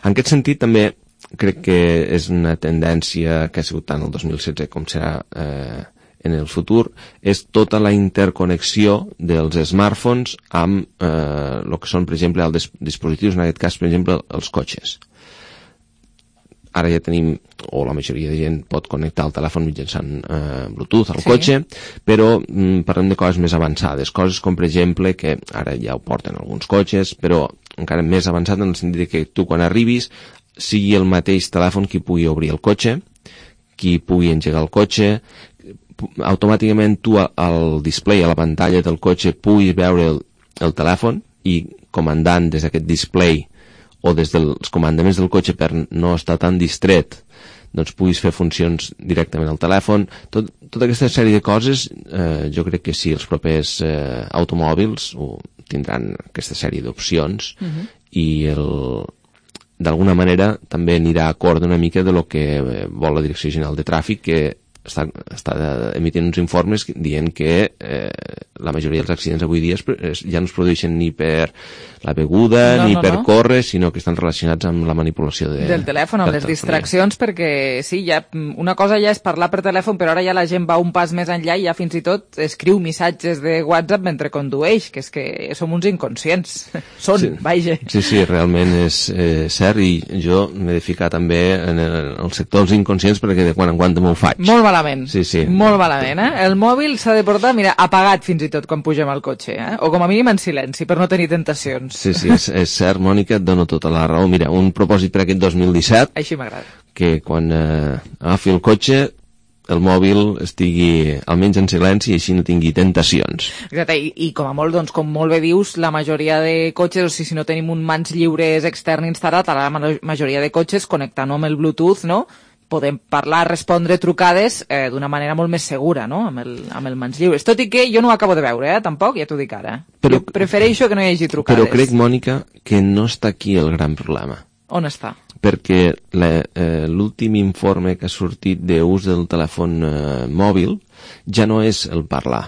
En aquest sentit, també crec que és una tendència que ha sigut tant el dos mil setze com serà eh, en el futur, és tota la interconnexió dels smartphones amb eh, el que són, per exemple, els dispositius, en aquest cas, per exemple, els cotxes. Ara ja tenim, o la majoria de gent pot connectar el telèfon mitjançant eh, Bluetooth al sí. cotxe, però mm, parlem de coses més avançades, coses com per exemple, que ara ja ho porten alguns cotxes, però encara més avançat en el sentit que tu quan arribis sigui el mateix telèfon qui pugui obrir el cotxe, qui pugui engegar el cotxe, automàticament tu al display, a la pantalla del cotxe, puguis veure el, el telèfon i comandant des d'aquest display o des dels comandaments del cotxe per no estar tan distret, doncs puguis fer funcions directament al telèfon. Tot, tota aquesta sèrie de coses, eh, jo crec que sí, els propers eh, automòbils ho tindran aquesta sèrie d'opcions uh-huh. i el d'alguna manera també anirà a acord una mica de lo que vol la Direcció General de Tràfic, que està, està emitint uns informes dient que eh, la majoria dels accidents avui dia es, es, ja no es produeixen ni per la beguda no, ni no, per no. córrer, sinó que estan relacionats amb la manipulació de, del telèfon, amb les distraccions, perquè sí, ja, una cosa ja és parlar per telèfon, però ara ja la gent va un pas més enllà i ja fins i tot escriu missatges de WhatsApp mentre condueix, que és que som uns inconscients. Són, sí, vaja. Sí, sí, realment és eh, cert, i jo m'he de ficar també en el, en el sector dels inconscients perquè de quan en quan m'ho faig. Molt malament. Sí, sí. Molt malament, eh? El mòbil s'ha de portar, mira, apagat fins i tot quan pugem al cotxe, eh? O com a mínim en silenci, per no tenir tentacions. Sí, sí, és, és cert, Mònica, et dono tota la raó. Mira, un propòsit per aquest dos mil disset... Així m'agrada. Que quan eh, agafi el cotxe, el mòbil estigui almenys en silenci i així no tingui tentacions. Exacte, i, i com a molt, doncs, com molt bé dius, la majoria de cotxes, o sigui, si no tenim un mans lliures extern instal·lat, a la majoria de cotxes, connectant-ho amb el Bluetooth, no?, podem parlar, respondre trucades eh, d'una manera molt més segura, no?, amb el, amb el mans lliures. Tot i que jo no ho acabo de veure, eh, tampoc, ja t'ho dic ara. Però, jo prefereixo que no hi hagi trucades. Però crec, Mònica, que no està aquí el gran problema. On està? Perquè eh, l'últim informe que ha sortit d'ús del telèfon eh, mòbil ja no és el parlar.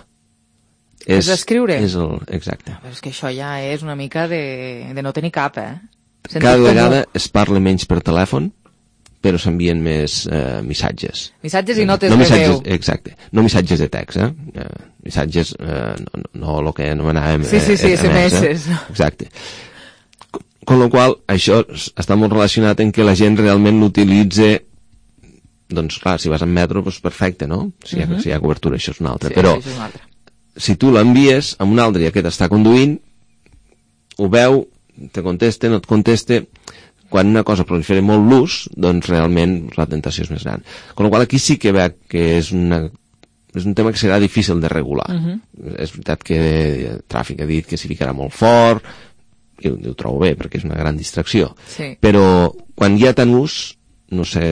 És, és escriure? És el, exacte. Però és que això ja és una mica de, de no tenir cap, eh? Sentit Cada vegada comú. Es parla menys per telèfon, però s'envien més eh, missatges. Missatges i notes no de missatges, veu. Exacte. No missatges de text, eh? eh missatges, eh, no, no el que anomenàvem... Sí, sí, sí, S M S. S M S. Exacte. Con lo qual, això està molt relacionat en que la gent realment l'utilitza, doncs clar, si vas en metro, doncs perfecte, no? Si hi ha, uh-huh. si hi ha cobertura, això és una altra. Sí, però és una altra. Si tu l'envies a un altre i aquest està conduint, ho veu, te contesta, no et contesta... Quan una cosa prolifera molt l'ús, doncs realment la tentació és més gran. Con la qual aquí sí que veig que és, una, és un tema que serà difícil de regular. Uh-huh. És veritat que el tràfic ha dit que s'hi ficarà molt fort, i ho, ho trobo bé perquè és una gran distracció. Sí. Però quan hi ha tant ús, no sé,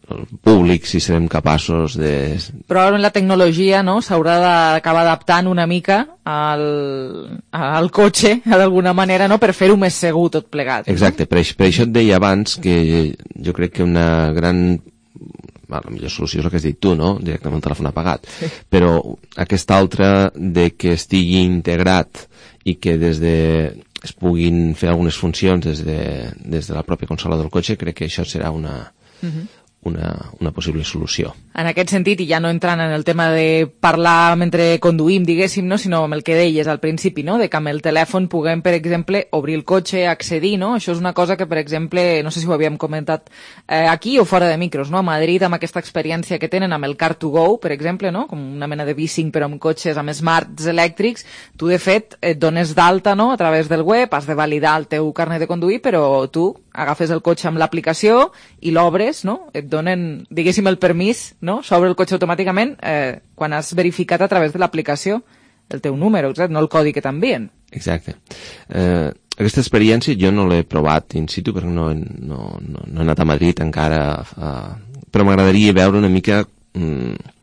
el públic, si serem capaços de... Probablement la tecnologia, no?, s'haurà d'acabar adaptant una mica al, al cotxe, d'alguna manera, no?, per fer-ho més segur tot plegat. Exacte, per, per això et deia abans que jo crec que una gran... Bueno, la millor solució és el que has dit tu, no?, directament el telèfon apagat. Sí. Però aquesta altra de que estigui integrat i que des de... es puguin fer algunes funcions des de, des de la pròpia consola del cotxe, crec que això serà una, uh-huh. una, una possible solució. En aquest sentit, i ja no entrant en el tema de parlar mentre conduïm, diguéssim, no? Sinó amb el que deies al principi, no?, de que amb el telèfon puguem, per exemple, obrir el cotxe, accedir, no? Això és una cosa que, per exemple, no sé si ho havíem comentat eh, aquí o fora de micros, no? A Madrid, amb aquesta experiència que tenen amb el Car to Go, per exemple, no?, com una mena de bicing però amb cotxes, amb smarts elèctrics, tu, de fet, et dones d'alta, no?, a través del web, has de validar el teu carnet de conduir, però tu agafes el cotxe amb l'aplicació i l'obres, no? Et donen, diguéssim, el permís, no? S'obre el cotxe automàticament eh, quan has verificat a través de l'aplicació el teu número, exacte, no el codi que t'envien. Exacte. Eh, aquesta experiència jo no l'he provat in situ perquè no, no, no, no he anat a Madrid encara, eh, però m'agradaria veure una mica mm,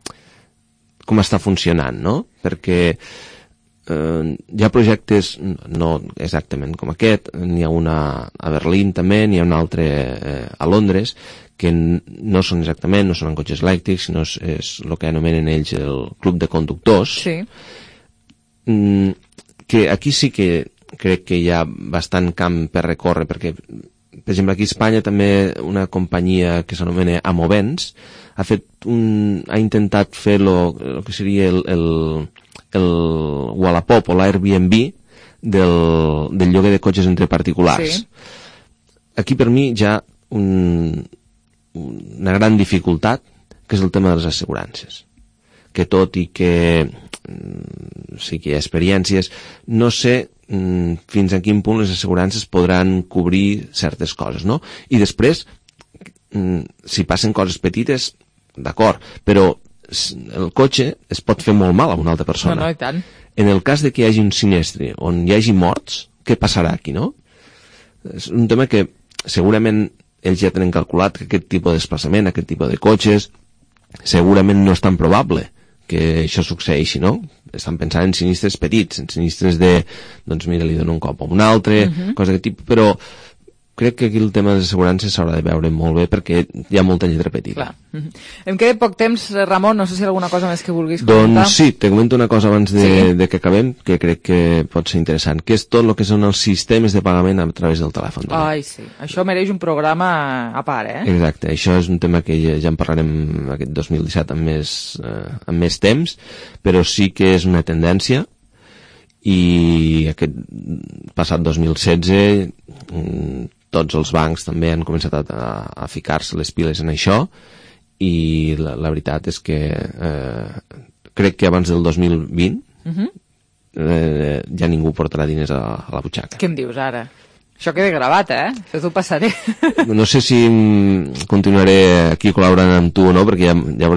com està funcionant, no? Perquè eh, hi ha projectes, no exactament com aquest, n'hi ha una a Berlín també, n'hi ha un altre eh, a Londres, que no són exactament, no són en cotxes elèctrics, sinó és, és el que anomenen ells el club de conductors, sí. mm, que aquí sí que crec que hi ha bastant camp per recórrer, perquè, per exemple, aquí a Espanya també una companyia que s'anomena Amovens ha fet un, ha intentat fer lo, lo que seria el, el, el Wallapop o l'Airbnb del, del lloguer de cotxes entre particulars. Sí. Aquí per mi ja un, una gran dificultat, que és el tema de les assegurances, que tot i que sí que hi ha experiències, no sé mm, fins a quin punt les assegurances podran cobrir certes coses, no? I després, mm, si passen coses petites, d'acord, però el cotxe es pot fer molt mal a una altra persona. No, no, i tant. En el cas de que hi hagi un sinistre on hi hagi morts, què passarà aquí, no? És un tema que segurament ells ja tenen calculat que aquest tipus de desplaçament, aquest tipus de cotxes, segurament no és tan probable que això succeeixi, no? Estan pensant en sinistres petits, en sinistres de, doncs mira, li dono un cop a un altre, uh-huh. cosa d'aquest tipus, però crec que aquí el tema de les assegurances s'haurà de veure molt bé perquè hi ha molta lletra petita. Clar. Uh-huh. Em queda poc temps, Ramon, no sé si hi ha alguna cosa més que vulguis comentar. Doncs sí, te comento una cosa abans de, sí. de que acabem, que crec que pot ser interessant, que és tot el que són els sistemes de pagament a través del telèfon. També. Ai, sí. Això mereix un programa a part, eh? Exacte. Això és un tema que ja, ja en parlarem aquest dos mil disset amb més, eh, amb més temps, però sí que és una tendència i aquest passat dos mil setze tots els bancs també han començat a, a ficar-se les piles en això i la, la veritat és que eh, crec que abans del dos mil vint uh-huh. eh, ja ningú portarà diners a, a la butxaca. Què em dius ara? Això queda gravat, eh? Això t'ho passaré. No sé si continuaré aquí col·laborant amb tu o no, perquè ja, ja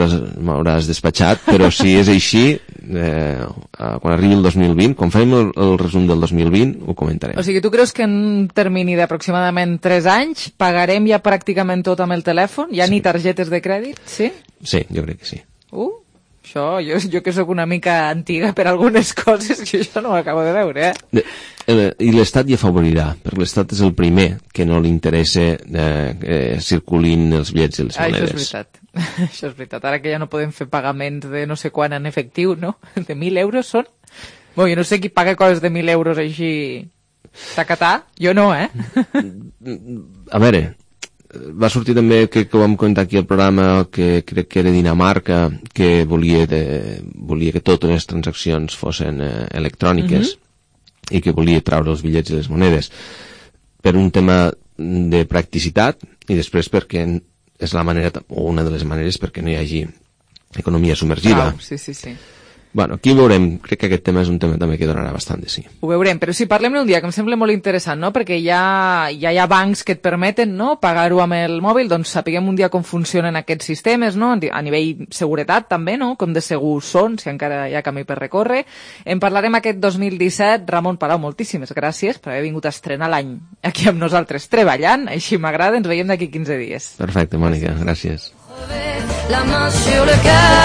m'hauràs despatxat, però si és així, eh, quan arribi el dos mil vint, quan farem el, el resum del dos mil vint, ho comentarem. O sigui, tu creus que en un termini d'aproximadament tres anys pagarem ja pràcticament tot amb el telèfon? Ja sí. Ni targetes de crèdit? Sí? Sí, jo crec que sí. Uh, això, jo, jo que sóc una mica antiga per algunes coses, jo això no ho acabo de veure, eh? De, I l'Estat hi afavorirà, perquè l'Estat és el primer que no li interessa eh, que circulin els bitllets i les monedes. Ah, això és veritat. Això és veritat. Ara que ja no podem fer pagaments de no sé quan en efectiu, no? De mil euros són? Bé, jo no sé qui paga coses de mil euros així tacatà. Jo no, eh? A veure, va sortir també, que, que ho vam comentar aquí al programa, que crec que era Dinamarca, que volia, de, volia que totes les transaccions fossin eh, electròniques, mm-hmm. i que volia treure els bitllets i les monedes per un tema de practicitat i després perquè és la manera, o una de les maneres perquè no hi hagi economia submergida. Ah, sí, sí, sí. Bueno, aquí veurem, crec que aquest tema és un tema també que donarà bastant de sí. Ho veurem, però sí, parlem-ne un dia, que em sembla molt interessant, no? Perquè ja, ja hi ha bancs que et permeten, no?, pagar-ho amb el mòbil, doncs sapiguem un dia com funcionen aquests sistemes, no?, a nivell seguretat també, no?, com de segurs són, si encara hi ha camí per recórrer. En parlarem aquest dos mil disset. Ramon Palau, moltíssimes gràcies per haver vingut a estrenar l'any aquí amb nosaltres treballant, així m'agrada, ens veiem d'aquí quinze dies. Perfecte, Mònica, gràcies. La main sur le cœur,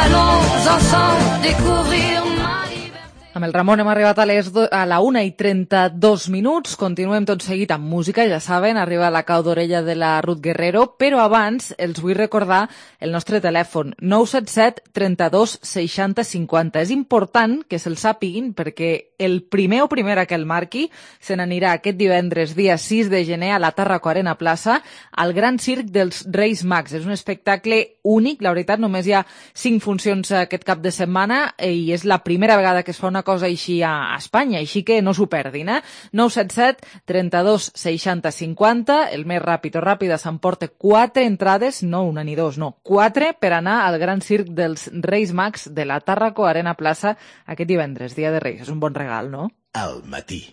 allons ensemble découvrir ma liberté. Amb el Ramon hem arribat a, les do, a la una i trenta-dos minuts, continuem tot seguit amb música, ja saben, arriba la cau d'orella de la Ruth Guerrero, però abans els vull recordar el nostre telèfon, nou set set trenta-dos seixanta cinquanta. És important que se'l sàpiguin perquè el primer o primera que el marqui se n'anirà aquest divendres, dia sis de gener, a la Tàrraco Arena Plaça, al Gran Circ dels Reis Mags. És un espectacle únic, la veritat, només hi ha cinc funcions aquest cap de setmana i és la primera vegada que es fa una cosa així a Espanya, així que no s'ho perdin, eh? nou set set trenta-dos seixanta cinquanta, el més ràpid o ràpida s'emporta quatre entrades, no una ni dos, no, quatre per anar al Gran Circ dels Reis Mags de la Tàrraco Arena Plaça aquest divendres, dia de Reis. És un bon regal, no? Al matí.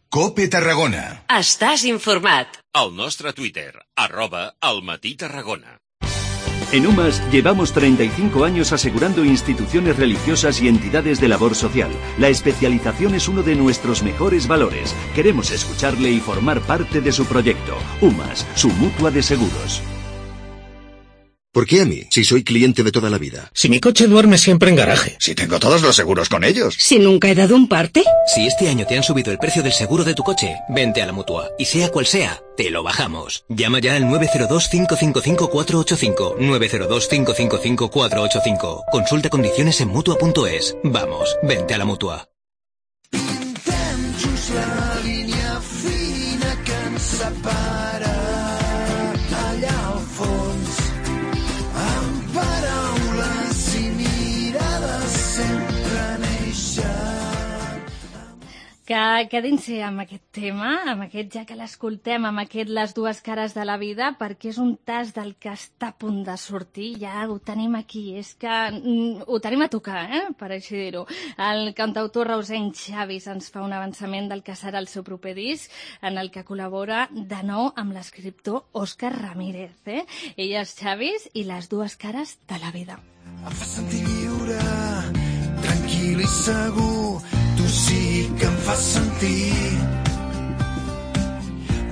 COPE Tarragona. Estàs informat. El nostre Twitter, arroba El Matí Tarragona. En UMAS llevamos treinta y cinco años asegurando instituciones religiosas y entidades de labor social. La especialización es uno de nuestros mejores valores. Queremos escucharle y formar parte de su proyecto. UMAS, su mutua de seguros. ¿Por qué a mí? Si soy cliente de toda la vida. Si mi coche duerme siempre en garaje. Si tengo todos los seguros con ellos. Si nunca he dado un parte. Si este año te han subido el precio del seguro de tu coche, vente a la Mutua. Y sea cual sea, te lo bajamos. Llama ya al nueve cero dos, cinco cinco cinco, cuatro ocho cinco. nueve cero dos, cinco cinco cinco, cuatro ocho cinco. Consulta condiciones en Mutua punto es. Vamos, vente a la Mutua. Pintem just la línia fina que ens separa allà al fons, amb paraules i mirades sempre neixen. Que quedin-se amb aquest tema, amb aquest ja que l'escoltem, amb aquest Les dues cares de la vida, perquè és un tas del que està a punt de sortir, ja ho tenim aquí, és que mm, ho tenim a tocar, eh? Per així dir-ho. El cantautor reusenc Xavis ens fa un avançament del que serà el seu proper disc, en el que col·labora de nou amb l'escriptor Òscar Ramírez. Eh? Ell és Xavis i Les dues cares de la vida. Em fa sentir lliure, tranquil i segur, tu sí que em fas sentir,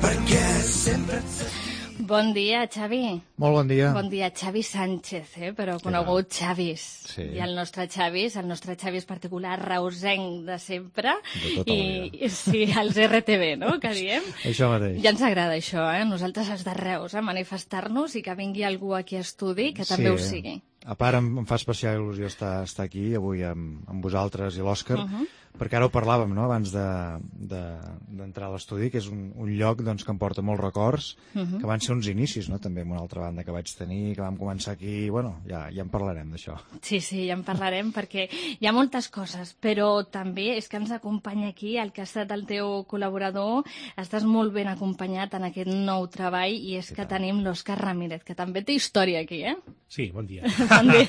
perquè sempre et sé. Bon dia, Xavi. Molt bon dia. Bon dia, Xavi Sánchez, eh? Però conegut Xavis. Sí. I el nostre Xavis, el nostre Xavis particular, reusenc de sempre. De tota la I, vida. i sí, els erre te ve, no?, que diem. Això mateix. Ja ens agrada això, eh? Nosaltres els de Reus, eh? Manifestar-nos i que vingui algú aquí a estudi que també Sí. ho sigui. A part, em, em fa especial il·lusió estar, estar aquí avui amb, amb vosaltres i l'Òscar, Uh -huh. perquè ara ho parlàvem, no?, abans d'entrar de, de, a l'estudi, que és un, un lloc doncs, que em porta molts records, Uh -huh. que van ser uns inicis, no?, també amb una altra banda que vaig tenir, que vam començar aquí, bueno, ja, ja en parlarem d'això. Sí, sí, ja en parlarem perquè hi ha moltes coses, però també és que ens acompanya aquí el que ha estat el teu col·laborador. Estàs molt ben acompanyat en aquest nou treball i és que tenim l'Òscar Ramírez, que també té història aquí, eh? Sí, bon dia. Bon dia.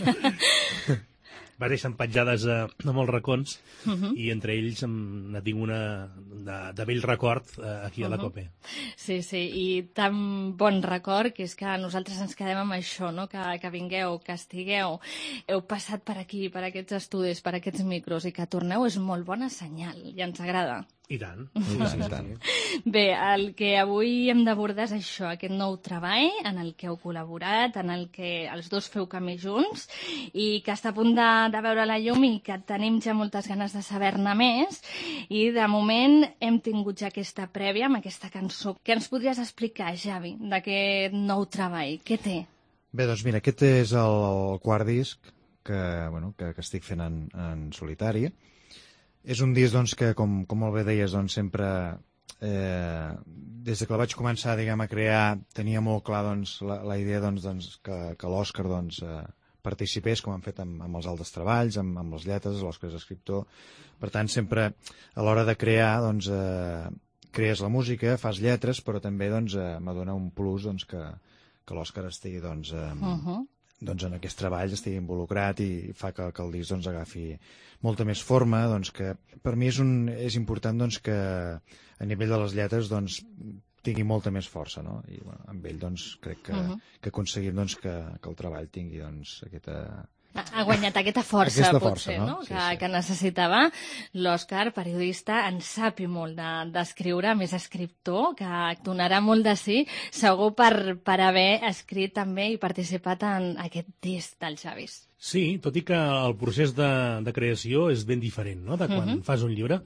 Va deixar empatjades a, a molts racons Uh -huh. i entre ells em, ne tinc una de, de vell record eh, aquí a la Uh-huh. COPE. Sí, sí, i tan bon record que és que nosaltres ens quedem amb això, no? que, que vingueu, que estigueu, heu passat per aquí, per aquests estudis, per aquests micros, i que torneu és molt bona senyal, i ens agrada. I tant. I tant, i tant. Bé, el que avui hem d'abordar és això, aquest nou treball en el que heu col·laborat, en el que els dos feu camí junts i que està a punt de, de veure la llum i que tenim ja moltes ganes de saber-ne més. I de moment hem tingut ja aquesta prèvia amb aquesta cançó. Què ens podries explicar, Xavi, d'aquest nou treball? Què té? Bé, doncs mira, aquest és el, el quart disc que, bueno, que, que estic fent en, en solitari. És un disc doncs, que, com, com molt bé deies, doncs, sempre, eh, des de que el vaig començar diguem, a crear, tenia molt clar doncs, la, la idea doncs, doncs, que, que l'Òscar doncs, eh, participés, com han fet amb, amb els altres treballs, amb, amb les lletres, l'Òscar és escriptor. Per tant, sempre a l'hora de crear, doncs, eh, crees la música, fas lletres, però també doncs, eh, m'adona un plus doncs, que, que l'Òscar estigui doncs, eh, Uh -huh. doncs en aquest treball estigui involucrat i fa que, que el disc doncs, agafi molta més forma, doncs que per mi és, un, és important doncs, que a nivell de les lletres doncs, tingui molta més força, no? I bueno, amb ell doncs, crec que, Uh-huh. que aconseguim doncs, que, que el treball tingui doncs, aquesta... Ha guanyat aquesta força, Aquesta potser, força, no? no? Sí, que, sí. que necessitava. L'Òscar, periodista, en sapi molt d'escriure, de, més escriptor, que donarà molt de sí, segur per, per haver escrit també i participat en aquest disc del Xavis. Sí, tot i que el procés de, de creació és ben diferent, no?, de quan Uh-huh. fas un llibre.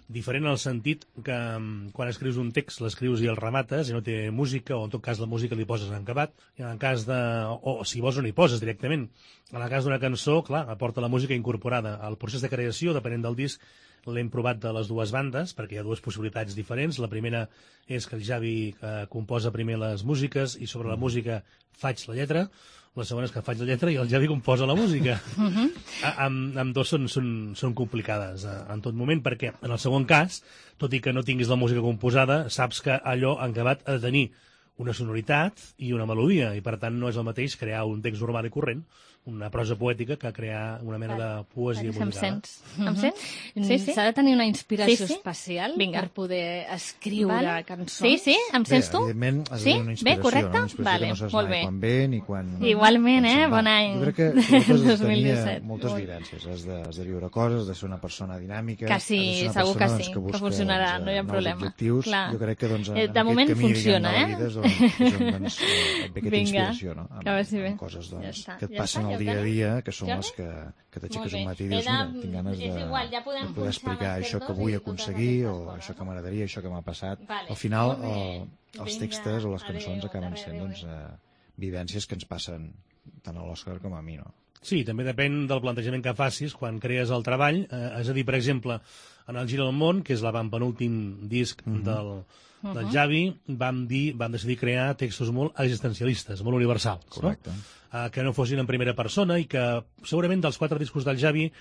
Diferent en el sentit que mm, quan escrius un text l'escrius i el remates i no té música, o en tot cas la música li poses en acabat, i en el cas de... o si vols no hi poses directament. En el cas d'una cançó, clar, aporta la música incorporada. El procés de creació, depenent del disc, l'hem provat de les dues bandes, perquè hi ha dues possibilitats diferents. La primera és que el Xavi eh, composa primer les músiques i sobre la música faig la lletra. La segona és que faig la lletra i el Xavi composa la música. Uh-huh. Amb, amb dos són, són, són complicades eh, en tot moment, perquè en el segon cas, tot i que no tinguis la música composada, saps que allò en acabat ha de tenir una sonoritat i una melodia, i per tant no és el mateix crear un text normal i corrent, una prosa poètica, que crear una mena de poesia Em musicada. sents? Em sents? Sí, sí. S'ha de tenir una inspiració Sí, sí. especial Vinga. per poder escriure Val. cançons. Sí, sí, em sents tu? Bé, evidentment has de Sí? tenir una Bé, inspiració, correcte? no? Una inspiració Vale, que no saps molt mai bé. quan ve ni quan... Igualment, quan eh? se'n va. Bon any. Jo crec que sobretot has de dos mil tenir disset. moltes Molt bé. vivències, has de, has de viure coses, has de ser una persona dinàmica, Que has sí, de ser una segur que persona, sí, doncs, que busca, funcionarà, doncs, no hi ha nous problema. objectius. Clar. Jo crec que doncs, en Eh, de aquest moment camí, funciona, diguem, de eh? la vida és on, és on doncs, eh, et ve aquesta Vinga, inspiració, no? Amb, que vagi bé. amb coses doncs, Ja està. que et Ja passen està, al ja dia a ho dia, que són Jordi? les que, que t'aixeques Molt bé. un matí i He dius, de- mira, tinc ganes de, és igual, ja podem de poder punxar explicar les això que dos vull i aconseguir o això que m'agradaria, això que m'ha passat. Vale, Al final, molt bé. el, els Vinga, textos o les cançons adéu, acaben adéu, sent adéu, doncs, eh, vivències que ens passen tant a l'Òscar com a mi, no? Sí, també depèn del plantejament que facis quan crees el treball. Eh, és a dir, per exemple, en el Gir del Món, que és l'avantpenúltim disc Mhm. del, del Mhm. Javi, vam, dir, vam decidir crear textos molt existencialistes, molt universals. Correcte. No? Eh, que no fossin en primera persona i que segurament dels quatre discos del Javi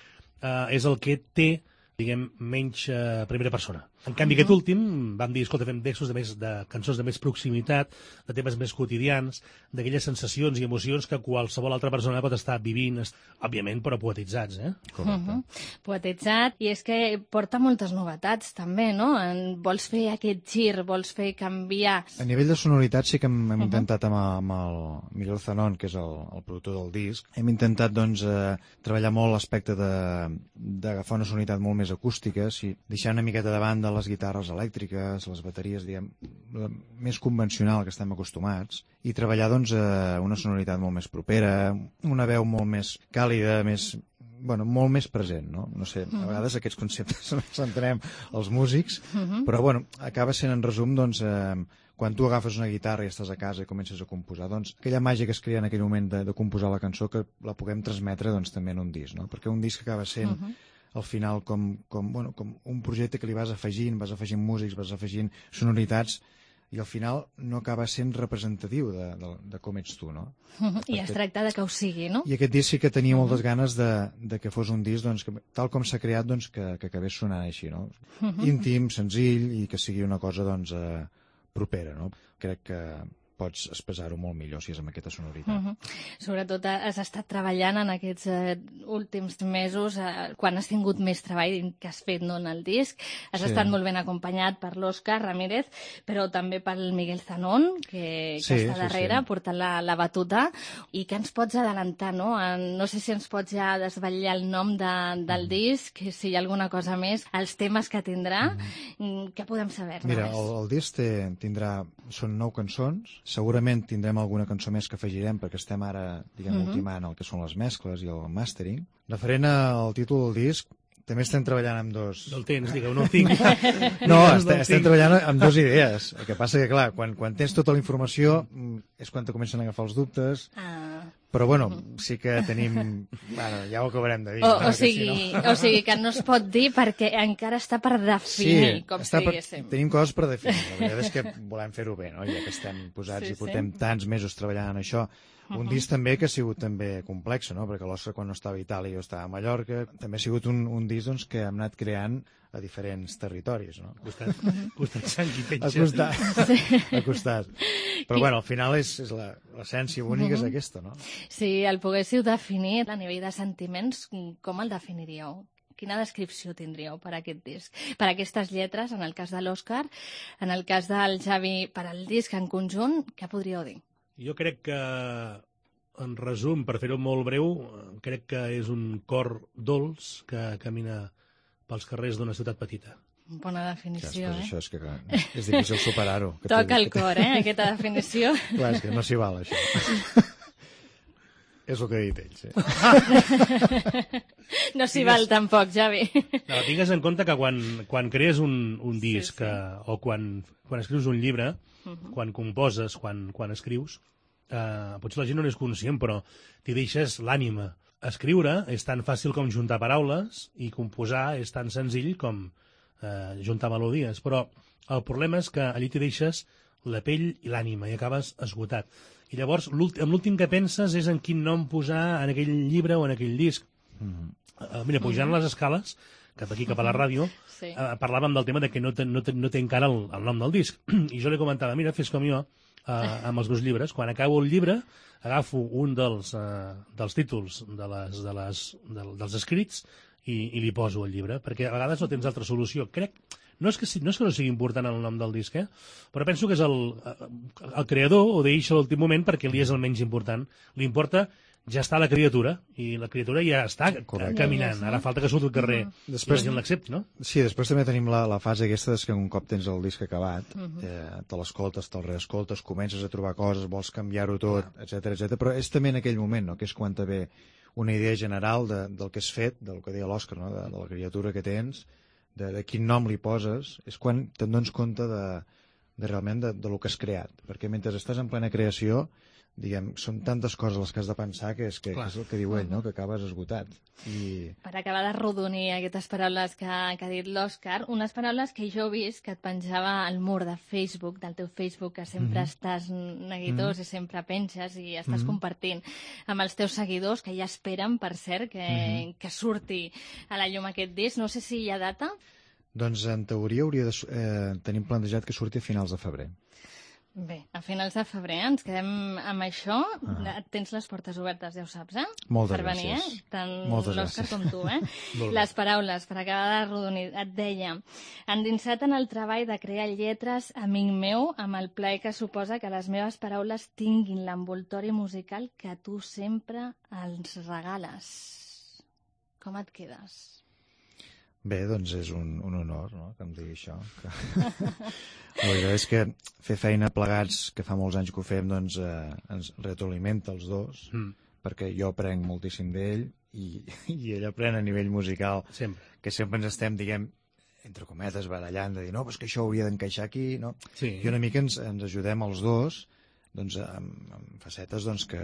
eh, és el que té, diguem, menys eh, primera persona. En canvi, Mhm. aquest últim vam dir, escolta, fem textos de, més, de cançons de més proximitat, de temes més quotidians, d'aquelles sensacions i emocions que qualsevol altra persona pot estar vivint, est- òbviament, però poetitzats, eh? Correcte. Mhm. Poetitzat, i és que porta moltes novetats també, no? En, vols fer aquest gir, vols fer canviar... A nivell de sonoritat sí que hem, hem Mhm. intentat amb, amb el Miguel Zanon, que és el, el productor del disc, hem intentat doncs, eh, treballar molt l'aspecte de- d'agafar una sonoritat molt més acústica, sí, deixar una miqueta de banda les guitarres elèctriques, les bateries, diguem, la més convencional que estem acostumats, i treballar doncs, eh, una sonoritat molt més propera, una veu molt més càlida, més bueno, molt més present, no? No sé, a Mhm. vegades aquests conceptes no els entenem els músics, Mhm. però bueno, acaba sent en resum, doncs, eh, quan tu agafes una guitarra i estàs a casa i comences a composar, doncs aquella màgia que es crea en aquell moment de, de composar la cançó que la puguem transmetre doncs, també en un disc, no? Perquè un disc acaba sent Mhm. al final com, com, bueno, com un projecte que li vas afegint, vas afegint músics, vas afegint sonoritats, i al final no acaba sent representatiu de, de, de com ets tu, no? I es tracta de que ho sigui, no? I aquest disc sí que tenia moltes ganes de, de que fos un disc doncs, que, tal com s'ha creat doncs, que, que acabés sonant així, no? Mhm. Íntim, senzill i que sigui una cosa doncs, eh, propera, no? Crec que pots expressar-ho molt millor si és amb aquesta sonoritat. Uh -huh. Sobretot has estat treballant en aquests eh, últims mesos, eh, quan has tingut més treball que has fet no, en el disc. Has Sí. estat molt ben acompanyat per l'Òscar Ramírez, però també pel Miguel Zanon, que, que Sí, està sí, darrere, sí. portant la, la batuta. I què ens pots adelantar, no? En, no sé si ens pots ja desvetllar el nom de, del disc, si hi ha alguna cosa més, els temes que tindrà, mm. què podem saber? Mira, el, el disc té, tindrà, són nou cançons, segurament tindrem alguna cançó més que afegirem perquè estem ara, diguem, Mhm. ultimant el que són les mescles i el mastering. Referent al títol del disc, també estem treballant amb dos... No el tens, digueu, no el tinc. No, Digues, estem, el estem tinc. treballant amb dues idees. El que passa que, clar, quan, quan tens tota la informació mm, és quan te comencen a agafar els dubtes. Ah. Però, bueno, sí que tenim... Bueno, ja ho acabarem de dir. O, no? o, Que sigui, si no... o sigui que no es pot dir perquè encara està per definir, Sí, com està si per, diguéssim. tenim coses per definir. La veritat és que volem fer-ho bé, no? Ja que estem posats Sí, i portem sí. tants mesos treballant en això. Un Mhm. disc també que ha sigut també complex, no? Perquè l'Òscar quan no estava a Itàlia jo estava a Mallorca. També ha sigut un, un disc doncs, que hem anat creant a diferents territoris, no? Ha costat, ha costat sang i Ha petja. costat, Sí. ha costat. Però bueno, al final és, és la- l'essència única és Mhm. aquesta, no? Si el poguéssiu definir a nivell de sentiments, com el definiríeu? Quina descripció tindríeu per a aquest disc? Per a aquestes lletres, en el cas de l'Òscar, en el cas del Javi, per al disc en conjunt, què podríeu dir? Jo crec que, en resum, per fer-ho molt breu, crec que és un cor dolç que camina pels carrers d'una ciutat petita. Bona definició, Clar, eh? això és que clar, és difícil superar-ho. que Toca t'he- el que t'he- cor, eh, aquesta definició. Clar, és que no s'hi val, això. És el que ha dit ell, sí. No s'hi val tampoc, Javi. No, tingues en compte que quan, quan crees un, un disc sí. eh, o quan, quan escrius un llibre, Mhm. quan composes, quan, quan escrius, eh, potser la gent no n'és conscient, però t'hi deixes l'ànima. Escriure és tan fàcil com juntar paraules i composar és tan senzill com eh, juntar melodies, però el problema és que allí t'hi deixes la pell i l'ànima i acabes esgotat. I llavors, l'últim- amb l'últim que penses és en quin nom posar en aquell llibre o en aquell disc. Mhm. Uh, mira, pujant les escales, cap aquí, cap a la ràdio, Sí. uh, parlàvem del tema de que no té, no té, no té encara el, el nom del disc. I jo li comentava, mira, fes com jo, uh, amb els meus llibres. Quan acabo el llibre, agafo un dels, uh, dels títols de les, de les, de, dels escrits i, i li poso el llibre, perquè a vegades no tens altra solució. Crec, no és que, no és que no sigui important el nom del disc, eh? Però penso que és el, el creador ho deixa a l'últim moment perquè li és el menys important. Li importa ja està la criatura, i la criatura ja està Correcte. caminant. Ara falta que surti al carrer mm. i després, la gent l'accepti, no? Sí, després també tenim la, la fase aquesta que un cop tens el disc acabat, mm -hmm. eh, te l'escoltes, te'l reescoltes, comences a trobar coses, vols canviar-ho tot, etcètera, etcètera. Però és també en aquell moment, no?, que és quan te ve una idea general de, del que has fet, del que deia l'Òscar, no?, de, de la criatura que tens, de, de quin nom li poses, és quan te'n dones compte de, de realment de, de lo que has creat. Perquè mentre estàs en plena creació, diguem, són tantes coses les que has de pensar que és, que, que és el que diu ell, no?, que acabes esgotat. I... Per acabar de rodonir aquestes paraules que, que ha dit l'Òscar, unes paraules que jo he vist que et penjava al mur de Facebook, del teu Facebook, que sempre mm-hmm. estàs neguitós mm-hmm. i sempre penges i estàs mm-hmm. compartint amb els teus seguidors, que ja esperen, per cert, que, mm-hmm. que surti a la llum aquest disc. No sé si hi ha data. Doncs en teoria hauria de, eh, tenim plantejat que surti a finals de febrer. Bé, a finals de febrer ens quedem amb això. Ah. Tens les portes obertes, ja ho saps, eh? Moltes per venir, gràcies. Eh? Tant Moltes l'Òscar gràcies. com tu, eh? Les paraules, per acabar de rodonir. Et deia, endinsat en el treball de crear lletres, amic meu, amb el plaer que suposa que les meves paraules tinguin l'envoltori musical que tu sempre els regales. Com et quedes? Bé, doncs és un, un honor, no?, que em digui això. Que... La veritat és que fer feina plegats, que fa molts anys que ho fem, doncs eh, ens retroalimenta els dos, mm. perquè jo aprenc moltíssim d'ell i, i ell aprèn a nivell musical, sempre. Que sempre ens estem, diguem, entre cometes, barallant, de dir, no, però és que això hauria d'encaixar aquí, no? Sí. I una mica ens, ens ajudem els dos, doncs, amb, amb facetes, doncs, que...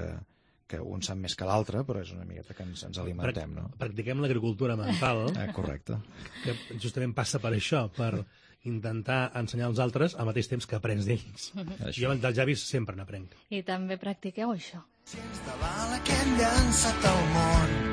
que un sap més que l'altre, però és una miqueta que ens, ens alimentem, no? Practiquem l'agricultura mental, eh, correcte. Que justament passa per això, per intentar ensenyar als altres al mateix temps que aprens d'ells. Jo dels llavis sempre n'aprenc. I també practiqueu això. Si ens davala que hem llançat al món.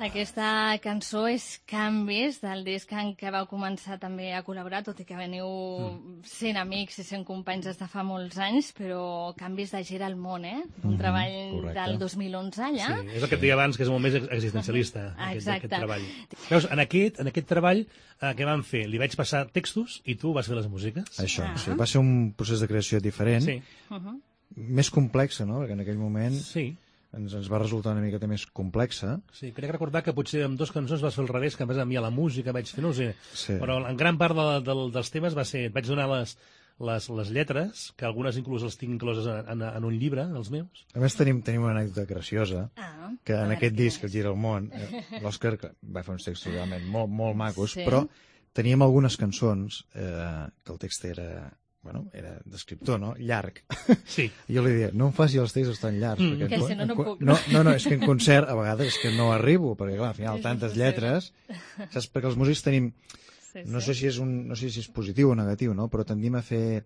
Aquesta cançó és Canvis, del disc en què vau començar també a col·laborar, tot i que veniu mm. sent amics i sent companys des de fa molts anys, però Canvis de Gira al món, eh? Un mm, treball correcte. Del dos mil onze, allà. Sí, és el que et deia abans, que és molt més existencialista, aquest, aquest treball. Veus, en aquest, en aquest treball, eh, què vam fer? Li vaig passar textos i tu vas fer les músiques? Això, ah. sí. Va ser un procés de creació diferent, sí. uh -huh. més complex, no?, perquè en aquell moment... Sí. Ens, ens va resultar una miqueta més complexa. Sí, crec recordar que potser amb dues cançons vas fer al revés, que a més a mi a la música vaig fer, no ho sé, sí. Però en gran part de, de, dels temes va ser, et vaig donar les, les, les lletres, que algunes inclús les tinc incloses en, en, en un llibre, els meus. A més tenim, tenim una anècdota graciosa, ah, que en aquest disc, El Gira al món, eh, l'Òscar va fer uns textos realment molt, molt macos, sí. Però teníem algunes cançons eh, que el text era... bueno, era d'escriptor, no?, llarg. Sí. I jo li deia, no em faci els textos tan llargs. Mm, perquè que en, si no, no puc. No, no, no, és que en concert a vegades és que no arribo, perquè clar, al final tantes lletres, saps? Perquè els músics tenim, sí, sí. no sé si és un, no sé si és positiu o negatiu, no?, però tendim a fer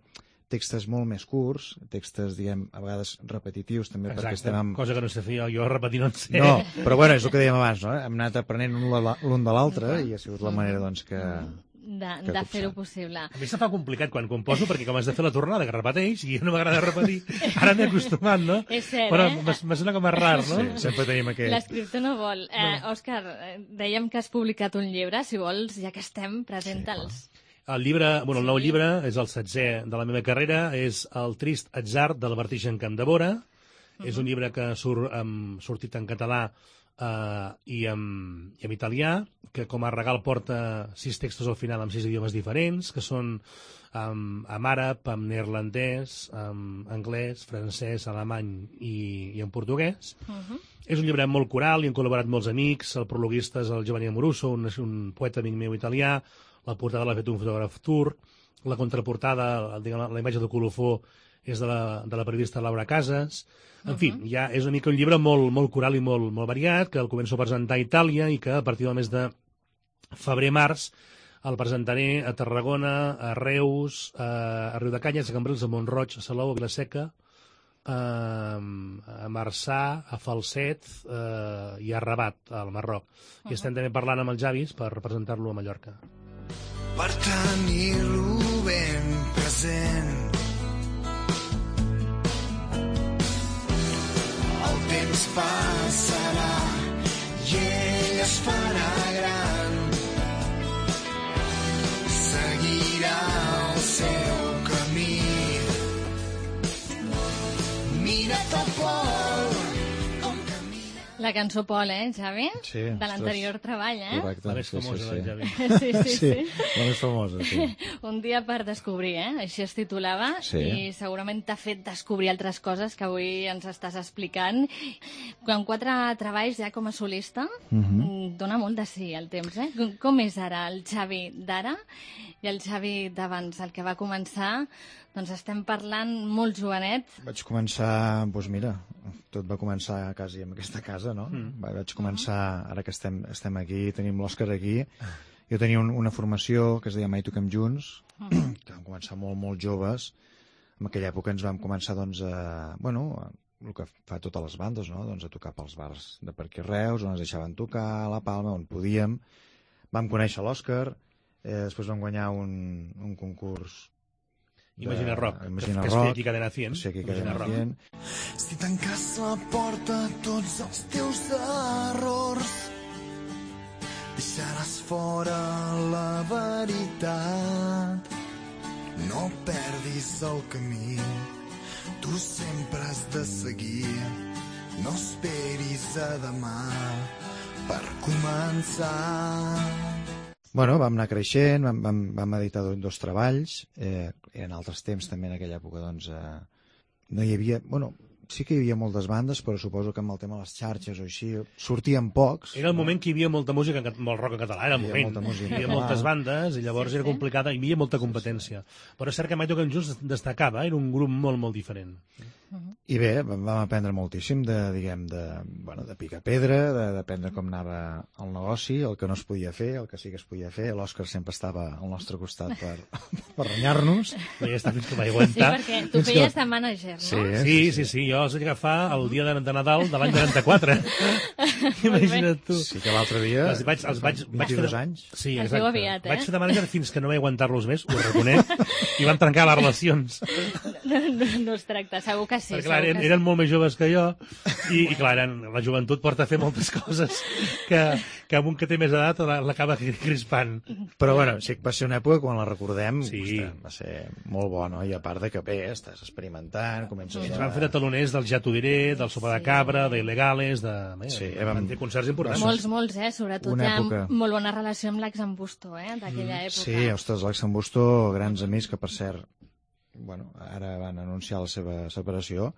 textos molt més curts, textos, diguem, a vegades repetitius, també. Exacte, perquè estem amb... cosa que no sé fer jo, jo repetir no en sé. No, però bueno, és el que dèiem abans, no? Hem anat aprenent l'un de l'altre i ha sigut la manera, doncs, que... de, de fer-ho possible. A mi se fa complicat quan composo, perquè com has de fer la tornada, que repeteix, i no m'agrada repetir. Ara m'he acostumat, no? És cert, però eh? me sona com a rar, no? Sí, sempre tenim aquest... L'escriptor no vol. Eh, Òscar, dèiem que has publicat un llibre, si vols, ja que estem, presenta'ls. Sí, el llibre, bueno, el nou llibre és el setzè de la meva carrera, és El trist atzar del Vertigen Campdevora. Uh -huh. És un llibre que surt um, sortit en català uh, i, en, i en italià, que com a regal porta sis textos al final amb sis idiomes diferents, que són um, en àrab, en neerlandès, en anglès, francès, alemany i, i en portuguès. Uh -huh. És un llibre molt coral, hi han col·laborat molts amics, el prologuista és el Giovanni Amoruso, un, un poeta amic meu italià, la portada l'ha fet un fotògraf turc, la contraportada, diguem, la imatge de colofó és de la, de la periodista Laura Casas. En uh -huh. fi, ja és una mica un llibre molt, molt coral i molt, molt variat, que el començo a presentar a Itàlia i que a partir del mes de febrer-març el presentaré a Tarragona, a Reus, a Riudecanyes, a Cambrils, a Mont-roig, a Salou, a Vilaseca, a Marçà, a Falset eh, i a Rabat, al Marroc. I estem també parlant amb els Javis per presentar-lo a Mallorca. Per tenir-lo ben present, el temps passarà i ell es farà gran, seguirà el seu camí. Mira't a Pol, com camina. La cançó Pol, eh, Xavi? Sí. De l'anterior treball, eh? Correcte. La més sí, famosa sí, del sí. Xavi. Sí, sí, sí. La més famosa, sí. Un dia per descobrir, eh? Així es titulava. Sí. I segurament t'ha fet descobrir altres coses que avui ens estàs explicant. Quan quatre treballs ja com a solista, Mhm. dona molt de sí el temps, eh? Com- Com és ara el Xavi d'ara i el Xavi d'abans, el que va començar? Doncs estem parlant molt jovenet. Vaig començar, doncs mira, tot va començar quasi en aquesta casa, no? Mm. Vaig començar, ara que estem, estem aquí, tenim l'Òscar aquí, jo tenia un, una formació que es deia Mai Toquem Junts, mm. que vam començar molt, molt joves. En aquella època ens vam començar, doncs, a, bueno, a, el que fa totes les bandes, no? Doncs a tocar pels bars de per aquí Reus, on ens deixaven tocar, a la Palma, on podíem. Vam conèixer l'Òscar, eh, després vam guanyar un, un concurs de- Imagina Rock, Imagina que es Rock, feia aquí a Cadena cent. Sí, aquí a Imagina Cadena Rock. cent. Si tanques la porta a tots els teus errors, deixaràs fora la veritat. No perdis el camí, tu sempre has de seguir. No esperis a demà per començar. Bueno, vam anar creixent, vam, vam, vam editar dos, dos treballs, eh, en altres temps també en aquella època, doncs, eh, no hi havia, bueno, sí que hi havia moltes bandes, però suposo que amb el tema de les xarxes o així, sortien pocs. Era el moment que hi havia molta música, en cat- molt rock en català, era el Hi havia moment. molta música en Hi havia català. moltes bandes i llavors Sí, era sí. complicada, hi havia molta competència. Però és cert que Mai Toquem Junts destacava, era un grup molt, molt diferent. I bé, vam, vam aprendre moltíssim de, diguem, de, bueno, de picar pedra, de- d'aprendre com anava el negoci, el que no es podia fer, el que sí que es podia fer. L'Òscar sempre estava al nostre costat per, per renyar-nos. No hi està fins que vaig Sí, aguantar. perquè tu feies de mànager, no? Sí, Sí, sí, sí, jo els vaig agafar el dia de, de Nadal de l'any noranta-quatre. Imagina't tu. Sí que l'altre dia, Els vaig, els vaig, vaig fer vint-i-dos de- anys. Sí, Es exacte. diu aviat, eh? Vaig fer de manager fins que no vaig aguantar-los més, ho reconec, i van trencar les relacions. No, no, no es tracta, segur que sí. Perquè, clar, segur eren, que eren molt més joves que jo i, i clar, eren, la joventut porta a fer moltes coses que, que amb un que té més edat la- l'acaba crispant. Però bueno, sí que va ser una època quan la recordem, Sí. ostres, va ser molt bona, no? I a part de que bé, estàs experimentant, comences Ens a... van fer de taloners del Ja t'ho diré, del Sopa de Cabra, d'Il·legales, de... Bé, Sí, van vam- fer concerts importants. Molts, molts, eh? Sobretot Una hi ha època. molt bona relació amb l'ex-Ambusto, eh? D'aquella època. Sí, ostres, l'Àlex Busto, grans amics que, per cert, bueno, ara van anunciar la seva separació,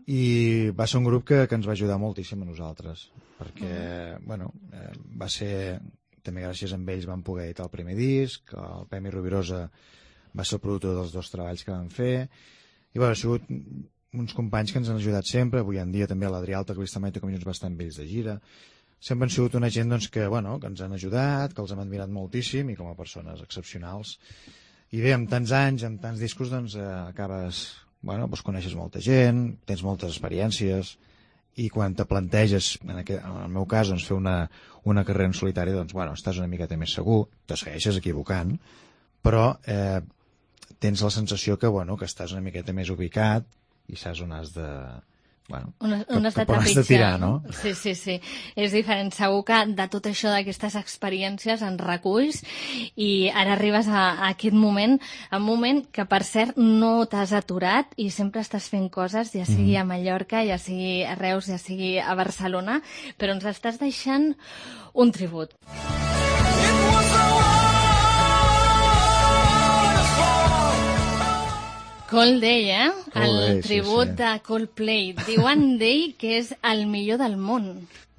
i va ser un grup que, que ens va ajudar moltíssim a nosaltres, perquè, bueno, eh, va ser, també gràcies a ells vam poder editar el primer disc, el Pemi Rovirosa va ser el productor dels dos treballs que vam fer, i bueno, ha sigut uns companys que ens han ajudat sempre, avui en dia també l'Adrià Alta, que Mai Toquem Junts va estar amb ells de gira, sempre han sigut una gent doncs, que, bueno, que ens han ajudat, que els hem admirat moltíssim i com a persones excepcionals. I bé, amb tants anys, amb tants discos, doncs eh, acabes, bueno, doncs coneixes molta gent, tens moltes experiències, i quan te planteges, en, aquest, en el meu cas, doncs, fer una, una carrera en solitari, doncs, bueno, estàs una miqueta més segur, te segueixes equivocant, però eh, tens la sensació que, bueno, que estàs una miqueta més ubicat i saps on has de... Bueno, On, on has de cap on has de trepitjar, tirar, no? Sí, sí, sí. És diferent. Segur que de tot això, d'aquestes experiències, en reculls i ara arribes a, a aquest moment, un moment que, per cert, no t'has aturat i sempre estàs fent coses, ja sigui a Mallorca, ja sigui a Reus, ja sigui a Barcelona, però ens estàs deixant un tribut. Coldplay, eh? El Coldplay, sí, tribut sí. de Coldplay. Diuen d'ell que és el millor del món.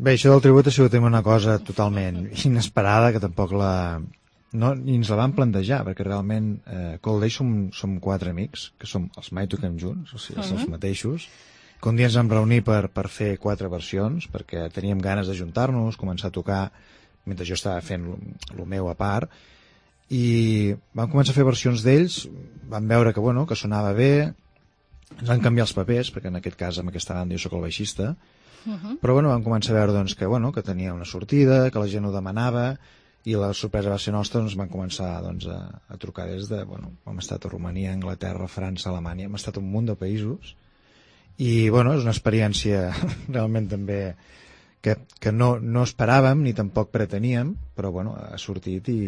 Bé, això del tribut ha sigut una cosa totalment inesperada, que tampoc la... No, ni ens la vam plantejar, perquè realment eh, Coldplay som, som quatre amics, que som els Mai Toquem Junts, o sigui, uh -huh. els mateixos, que un dia ens vam reunir per, per fer quatre versions, perquè teníem ganes d'ajuntar-nos, començar a tocar, mentre jo estava fent el meu a part, i vam començar a fer versions d'ells, vam veure que, bueno, que sonava bé, ens van canviar els papers, perquè en aquest cas, en aquesta banda, jo sóc el baixista, Uh-huh. però bueno, vam començar a veure doncs, que, bueno, que tenia una sortida, que la gent ho demanava, i la sorpresa va ser nostra, doncs van començar doncs, a, a trucar des de... Bueno, hem estat a Romania, Anglaterra, França, Alemanya, hem estat a un munt de països, i bueno, és una experiència realment també que, que no, no esperàvem ni tampoc preteníem, però bueno, ha sortit i,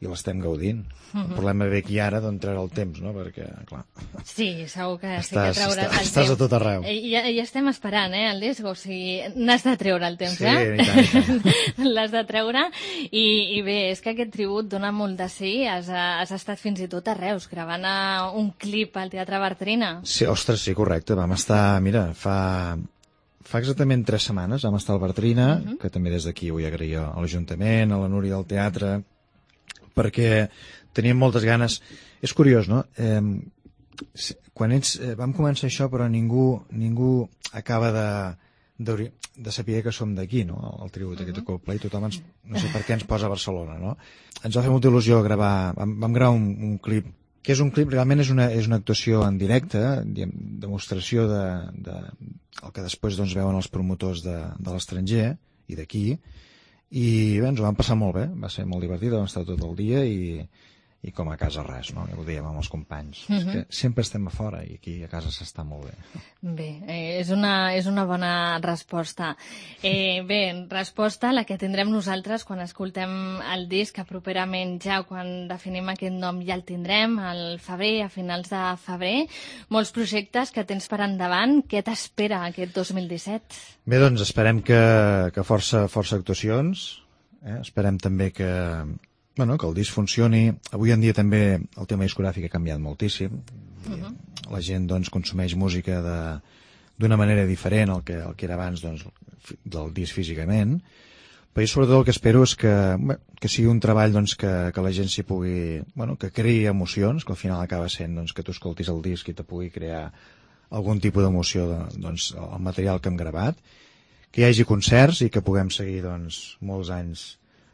i l'estem gaudint. Uh-huh. El problema ve aquí ara d'on treu el temps, no? Perquè, clar... Sí, segur que sí estàs, que trauràs estàs, el temps. estàs a tot arreu. I ja, ja estem esperant, eh, el disc, o sigui, n'has de treure el temps, sí, eh? i tant, i tant. L'has de treure, i, i bé, és que aquest tribut dona molt de sí, has, has estat fins i tot a Reus, gravant un clip al Teatre Bartrina. Sí, ostres, sí, correcte, vam estar, mira, fa... Fa exactament tres setmanes vam estar al Bartrina, uh-huh. que també des d'aquí vull agrair a l'Ajuntament, a la Núria del Teatre, perquè teníem moltes ganes. És curiós, no? Eh, quan ets, eh, vam començar això, però ningú, ningú acaba de, de, de saber que som d'aquí, no? El tribut uh-huh. aquest de Coldplay, tothom ens, no sé per què ens posa a Barcelona, no? Ens va fer molta il·lusió gravar, vam, vam gravar un, un clip que és un clip, realment és una, és una actuació en directe, diguem, demostració de, de el que després doncs, veuen els promotors de, de l'estranger i d'aquí, i bé, ens ho vam passar molt bé, va ser molt divertit, vam estar tot el dia i, i com a casa res, no? Ja ho dèiem amb els companys. Uh-huh. És que sempre estem a fora i aquí a casa s'està molt bé. Bé, eh, és, una, és una bona resposta. Eh, bé, resposta la que tindrem nosaltres quan escoltem el disc, que properament ja quan definim aquest nom ja el tindrem, al febrer, a finals de febrer. Molts projectes que tens per endavant. Què t'espera aquest dos mil disset? Bé, doncs esperem que, que força, força actuacions. Eh? Esperem també que... Bueno, que el disc funcioni. Avui en dia també el tema discogràfic ha canviat moltíssim. Uh-huh. La gent doncs, consumeix música d'una manera diferent al que, al que era abans doncs, del disc físicament. Però jo sobretot el que espero és que, bé, que sigui un treball doncs, que, que la gent s'hi pugui... Bueno, que creï emocions, que al final acaba sent doncs, que tu escoltis el disc i te pugui crear algun tipus d'emoció de, doncs, el material que hem gravat, que hi hagi concerts i que puguem seguir doncs, molts anys.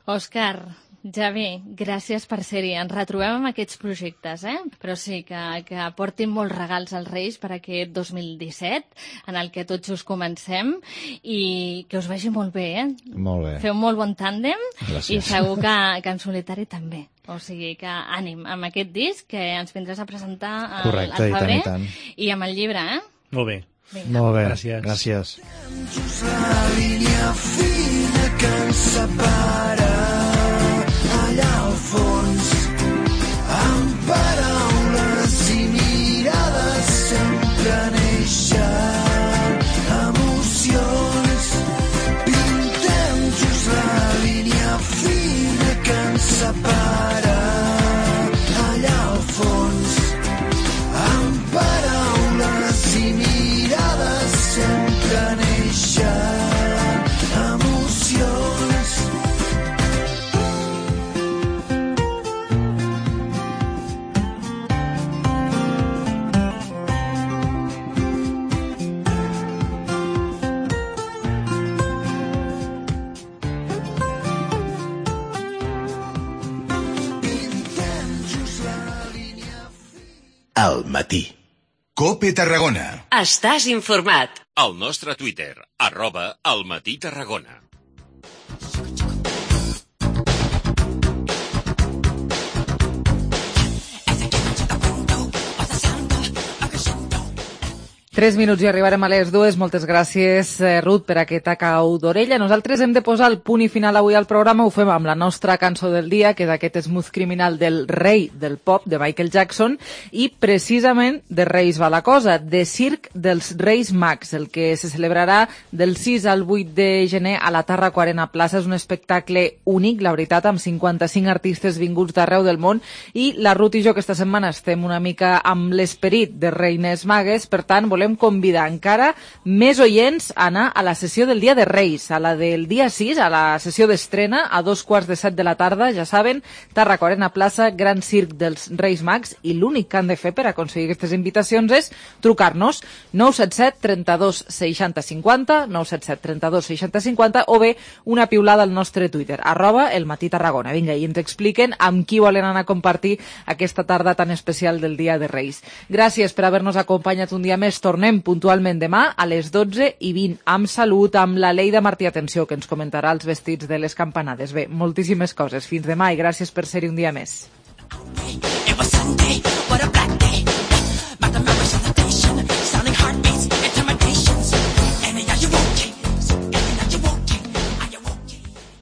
Òscar, ja bé, gràcies per ser-hi. Ens retrobem amb aquests projectes, eh? Però sí, que, que portin molts regals als Reis per aquest dos mil disset, en el que tots us comencem, i que us vagi molt bé, eh? Molt bé. Feu molt bon tàndem. Gràcies. I segur que, que en solitari també. O sigui que ànim amb aquest disc que ens vindràs a presentar al, correcte, al febrer. i tant, i tant. I amb el llibre, eh? Molt bé. Vinga. Molt bé, gràcies. gràcies. Just la línia fina que ens separa allà al fons, amb paraules i mirades sempre neixen emocions. Pintem just la línia fina que ens separa allà al fons, amb paraules i mirades sempre neixen emocions. Al matí. Cope Tarragona. Estàs informat. Al nostre Twitter, arroba al matí Tarragona. Tres minuts i arribarem a les dues. Moltes gràcies, eh, Ruth, per aquesta cau d'orella. Nosaltres hem de posar el punt i final avui al programa. Ho fem amb la nostra cançó del dia, que és aquest Smooth Criminal del rei del pop, de Michael Jackson, i precisament de Reis va la cosa, de Circ dels Reis Mags, el que se celebrarà del sis al vuit de gener a la Tàrraco Arena Plaça. És un espectacle únic, la veritat, amb cinquanta-cinc artistes vinguts d'arreu del món, i la Ruth i jo aquesta setmana estem una mica amb l'esperit de Reines Magues, per tant, volem volem convidar encara més oients a anar a la sessió del dia de Reis, a la del dia sis, a la sessió d'estrena, a dos quarts de set de la tarda, ja saben, Tàrraco Arena Plaça, Gran Circ dels Reis Mags, i l'únic que han de fer per aconseguir aquestes invitacions és trucar-nos nou set set trenta-dos seixanta cinquanta, nou set set trenta-dos seixanta cinquanta, o bé una piulada al nostre Twitter, arroba el Matí Tarragona. Vinga, i ens expliquen amb qui volen anar a compartir aquesta tarda tan especial del dia de Reis. Gràcies per haver-nos acompanyat un dia més. Tornem puntualment demà a les dotze i vint, amb salut, amb la Leida Martí Atenció, que ens comentarà els vestits de les campanades. Bé, moltíssimes coses. Fins demà i gràcies per ser-hi un dia més. It was Sunday, what a black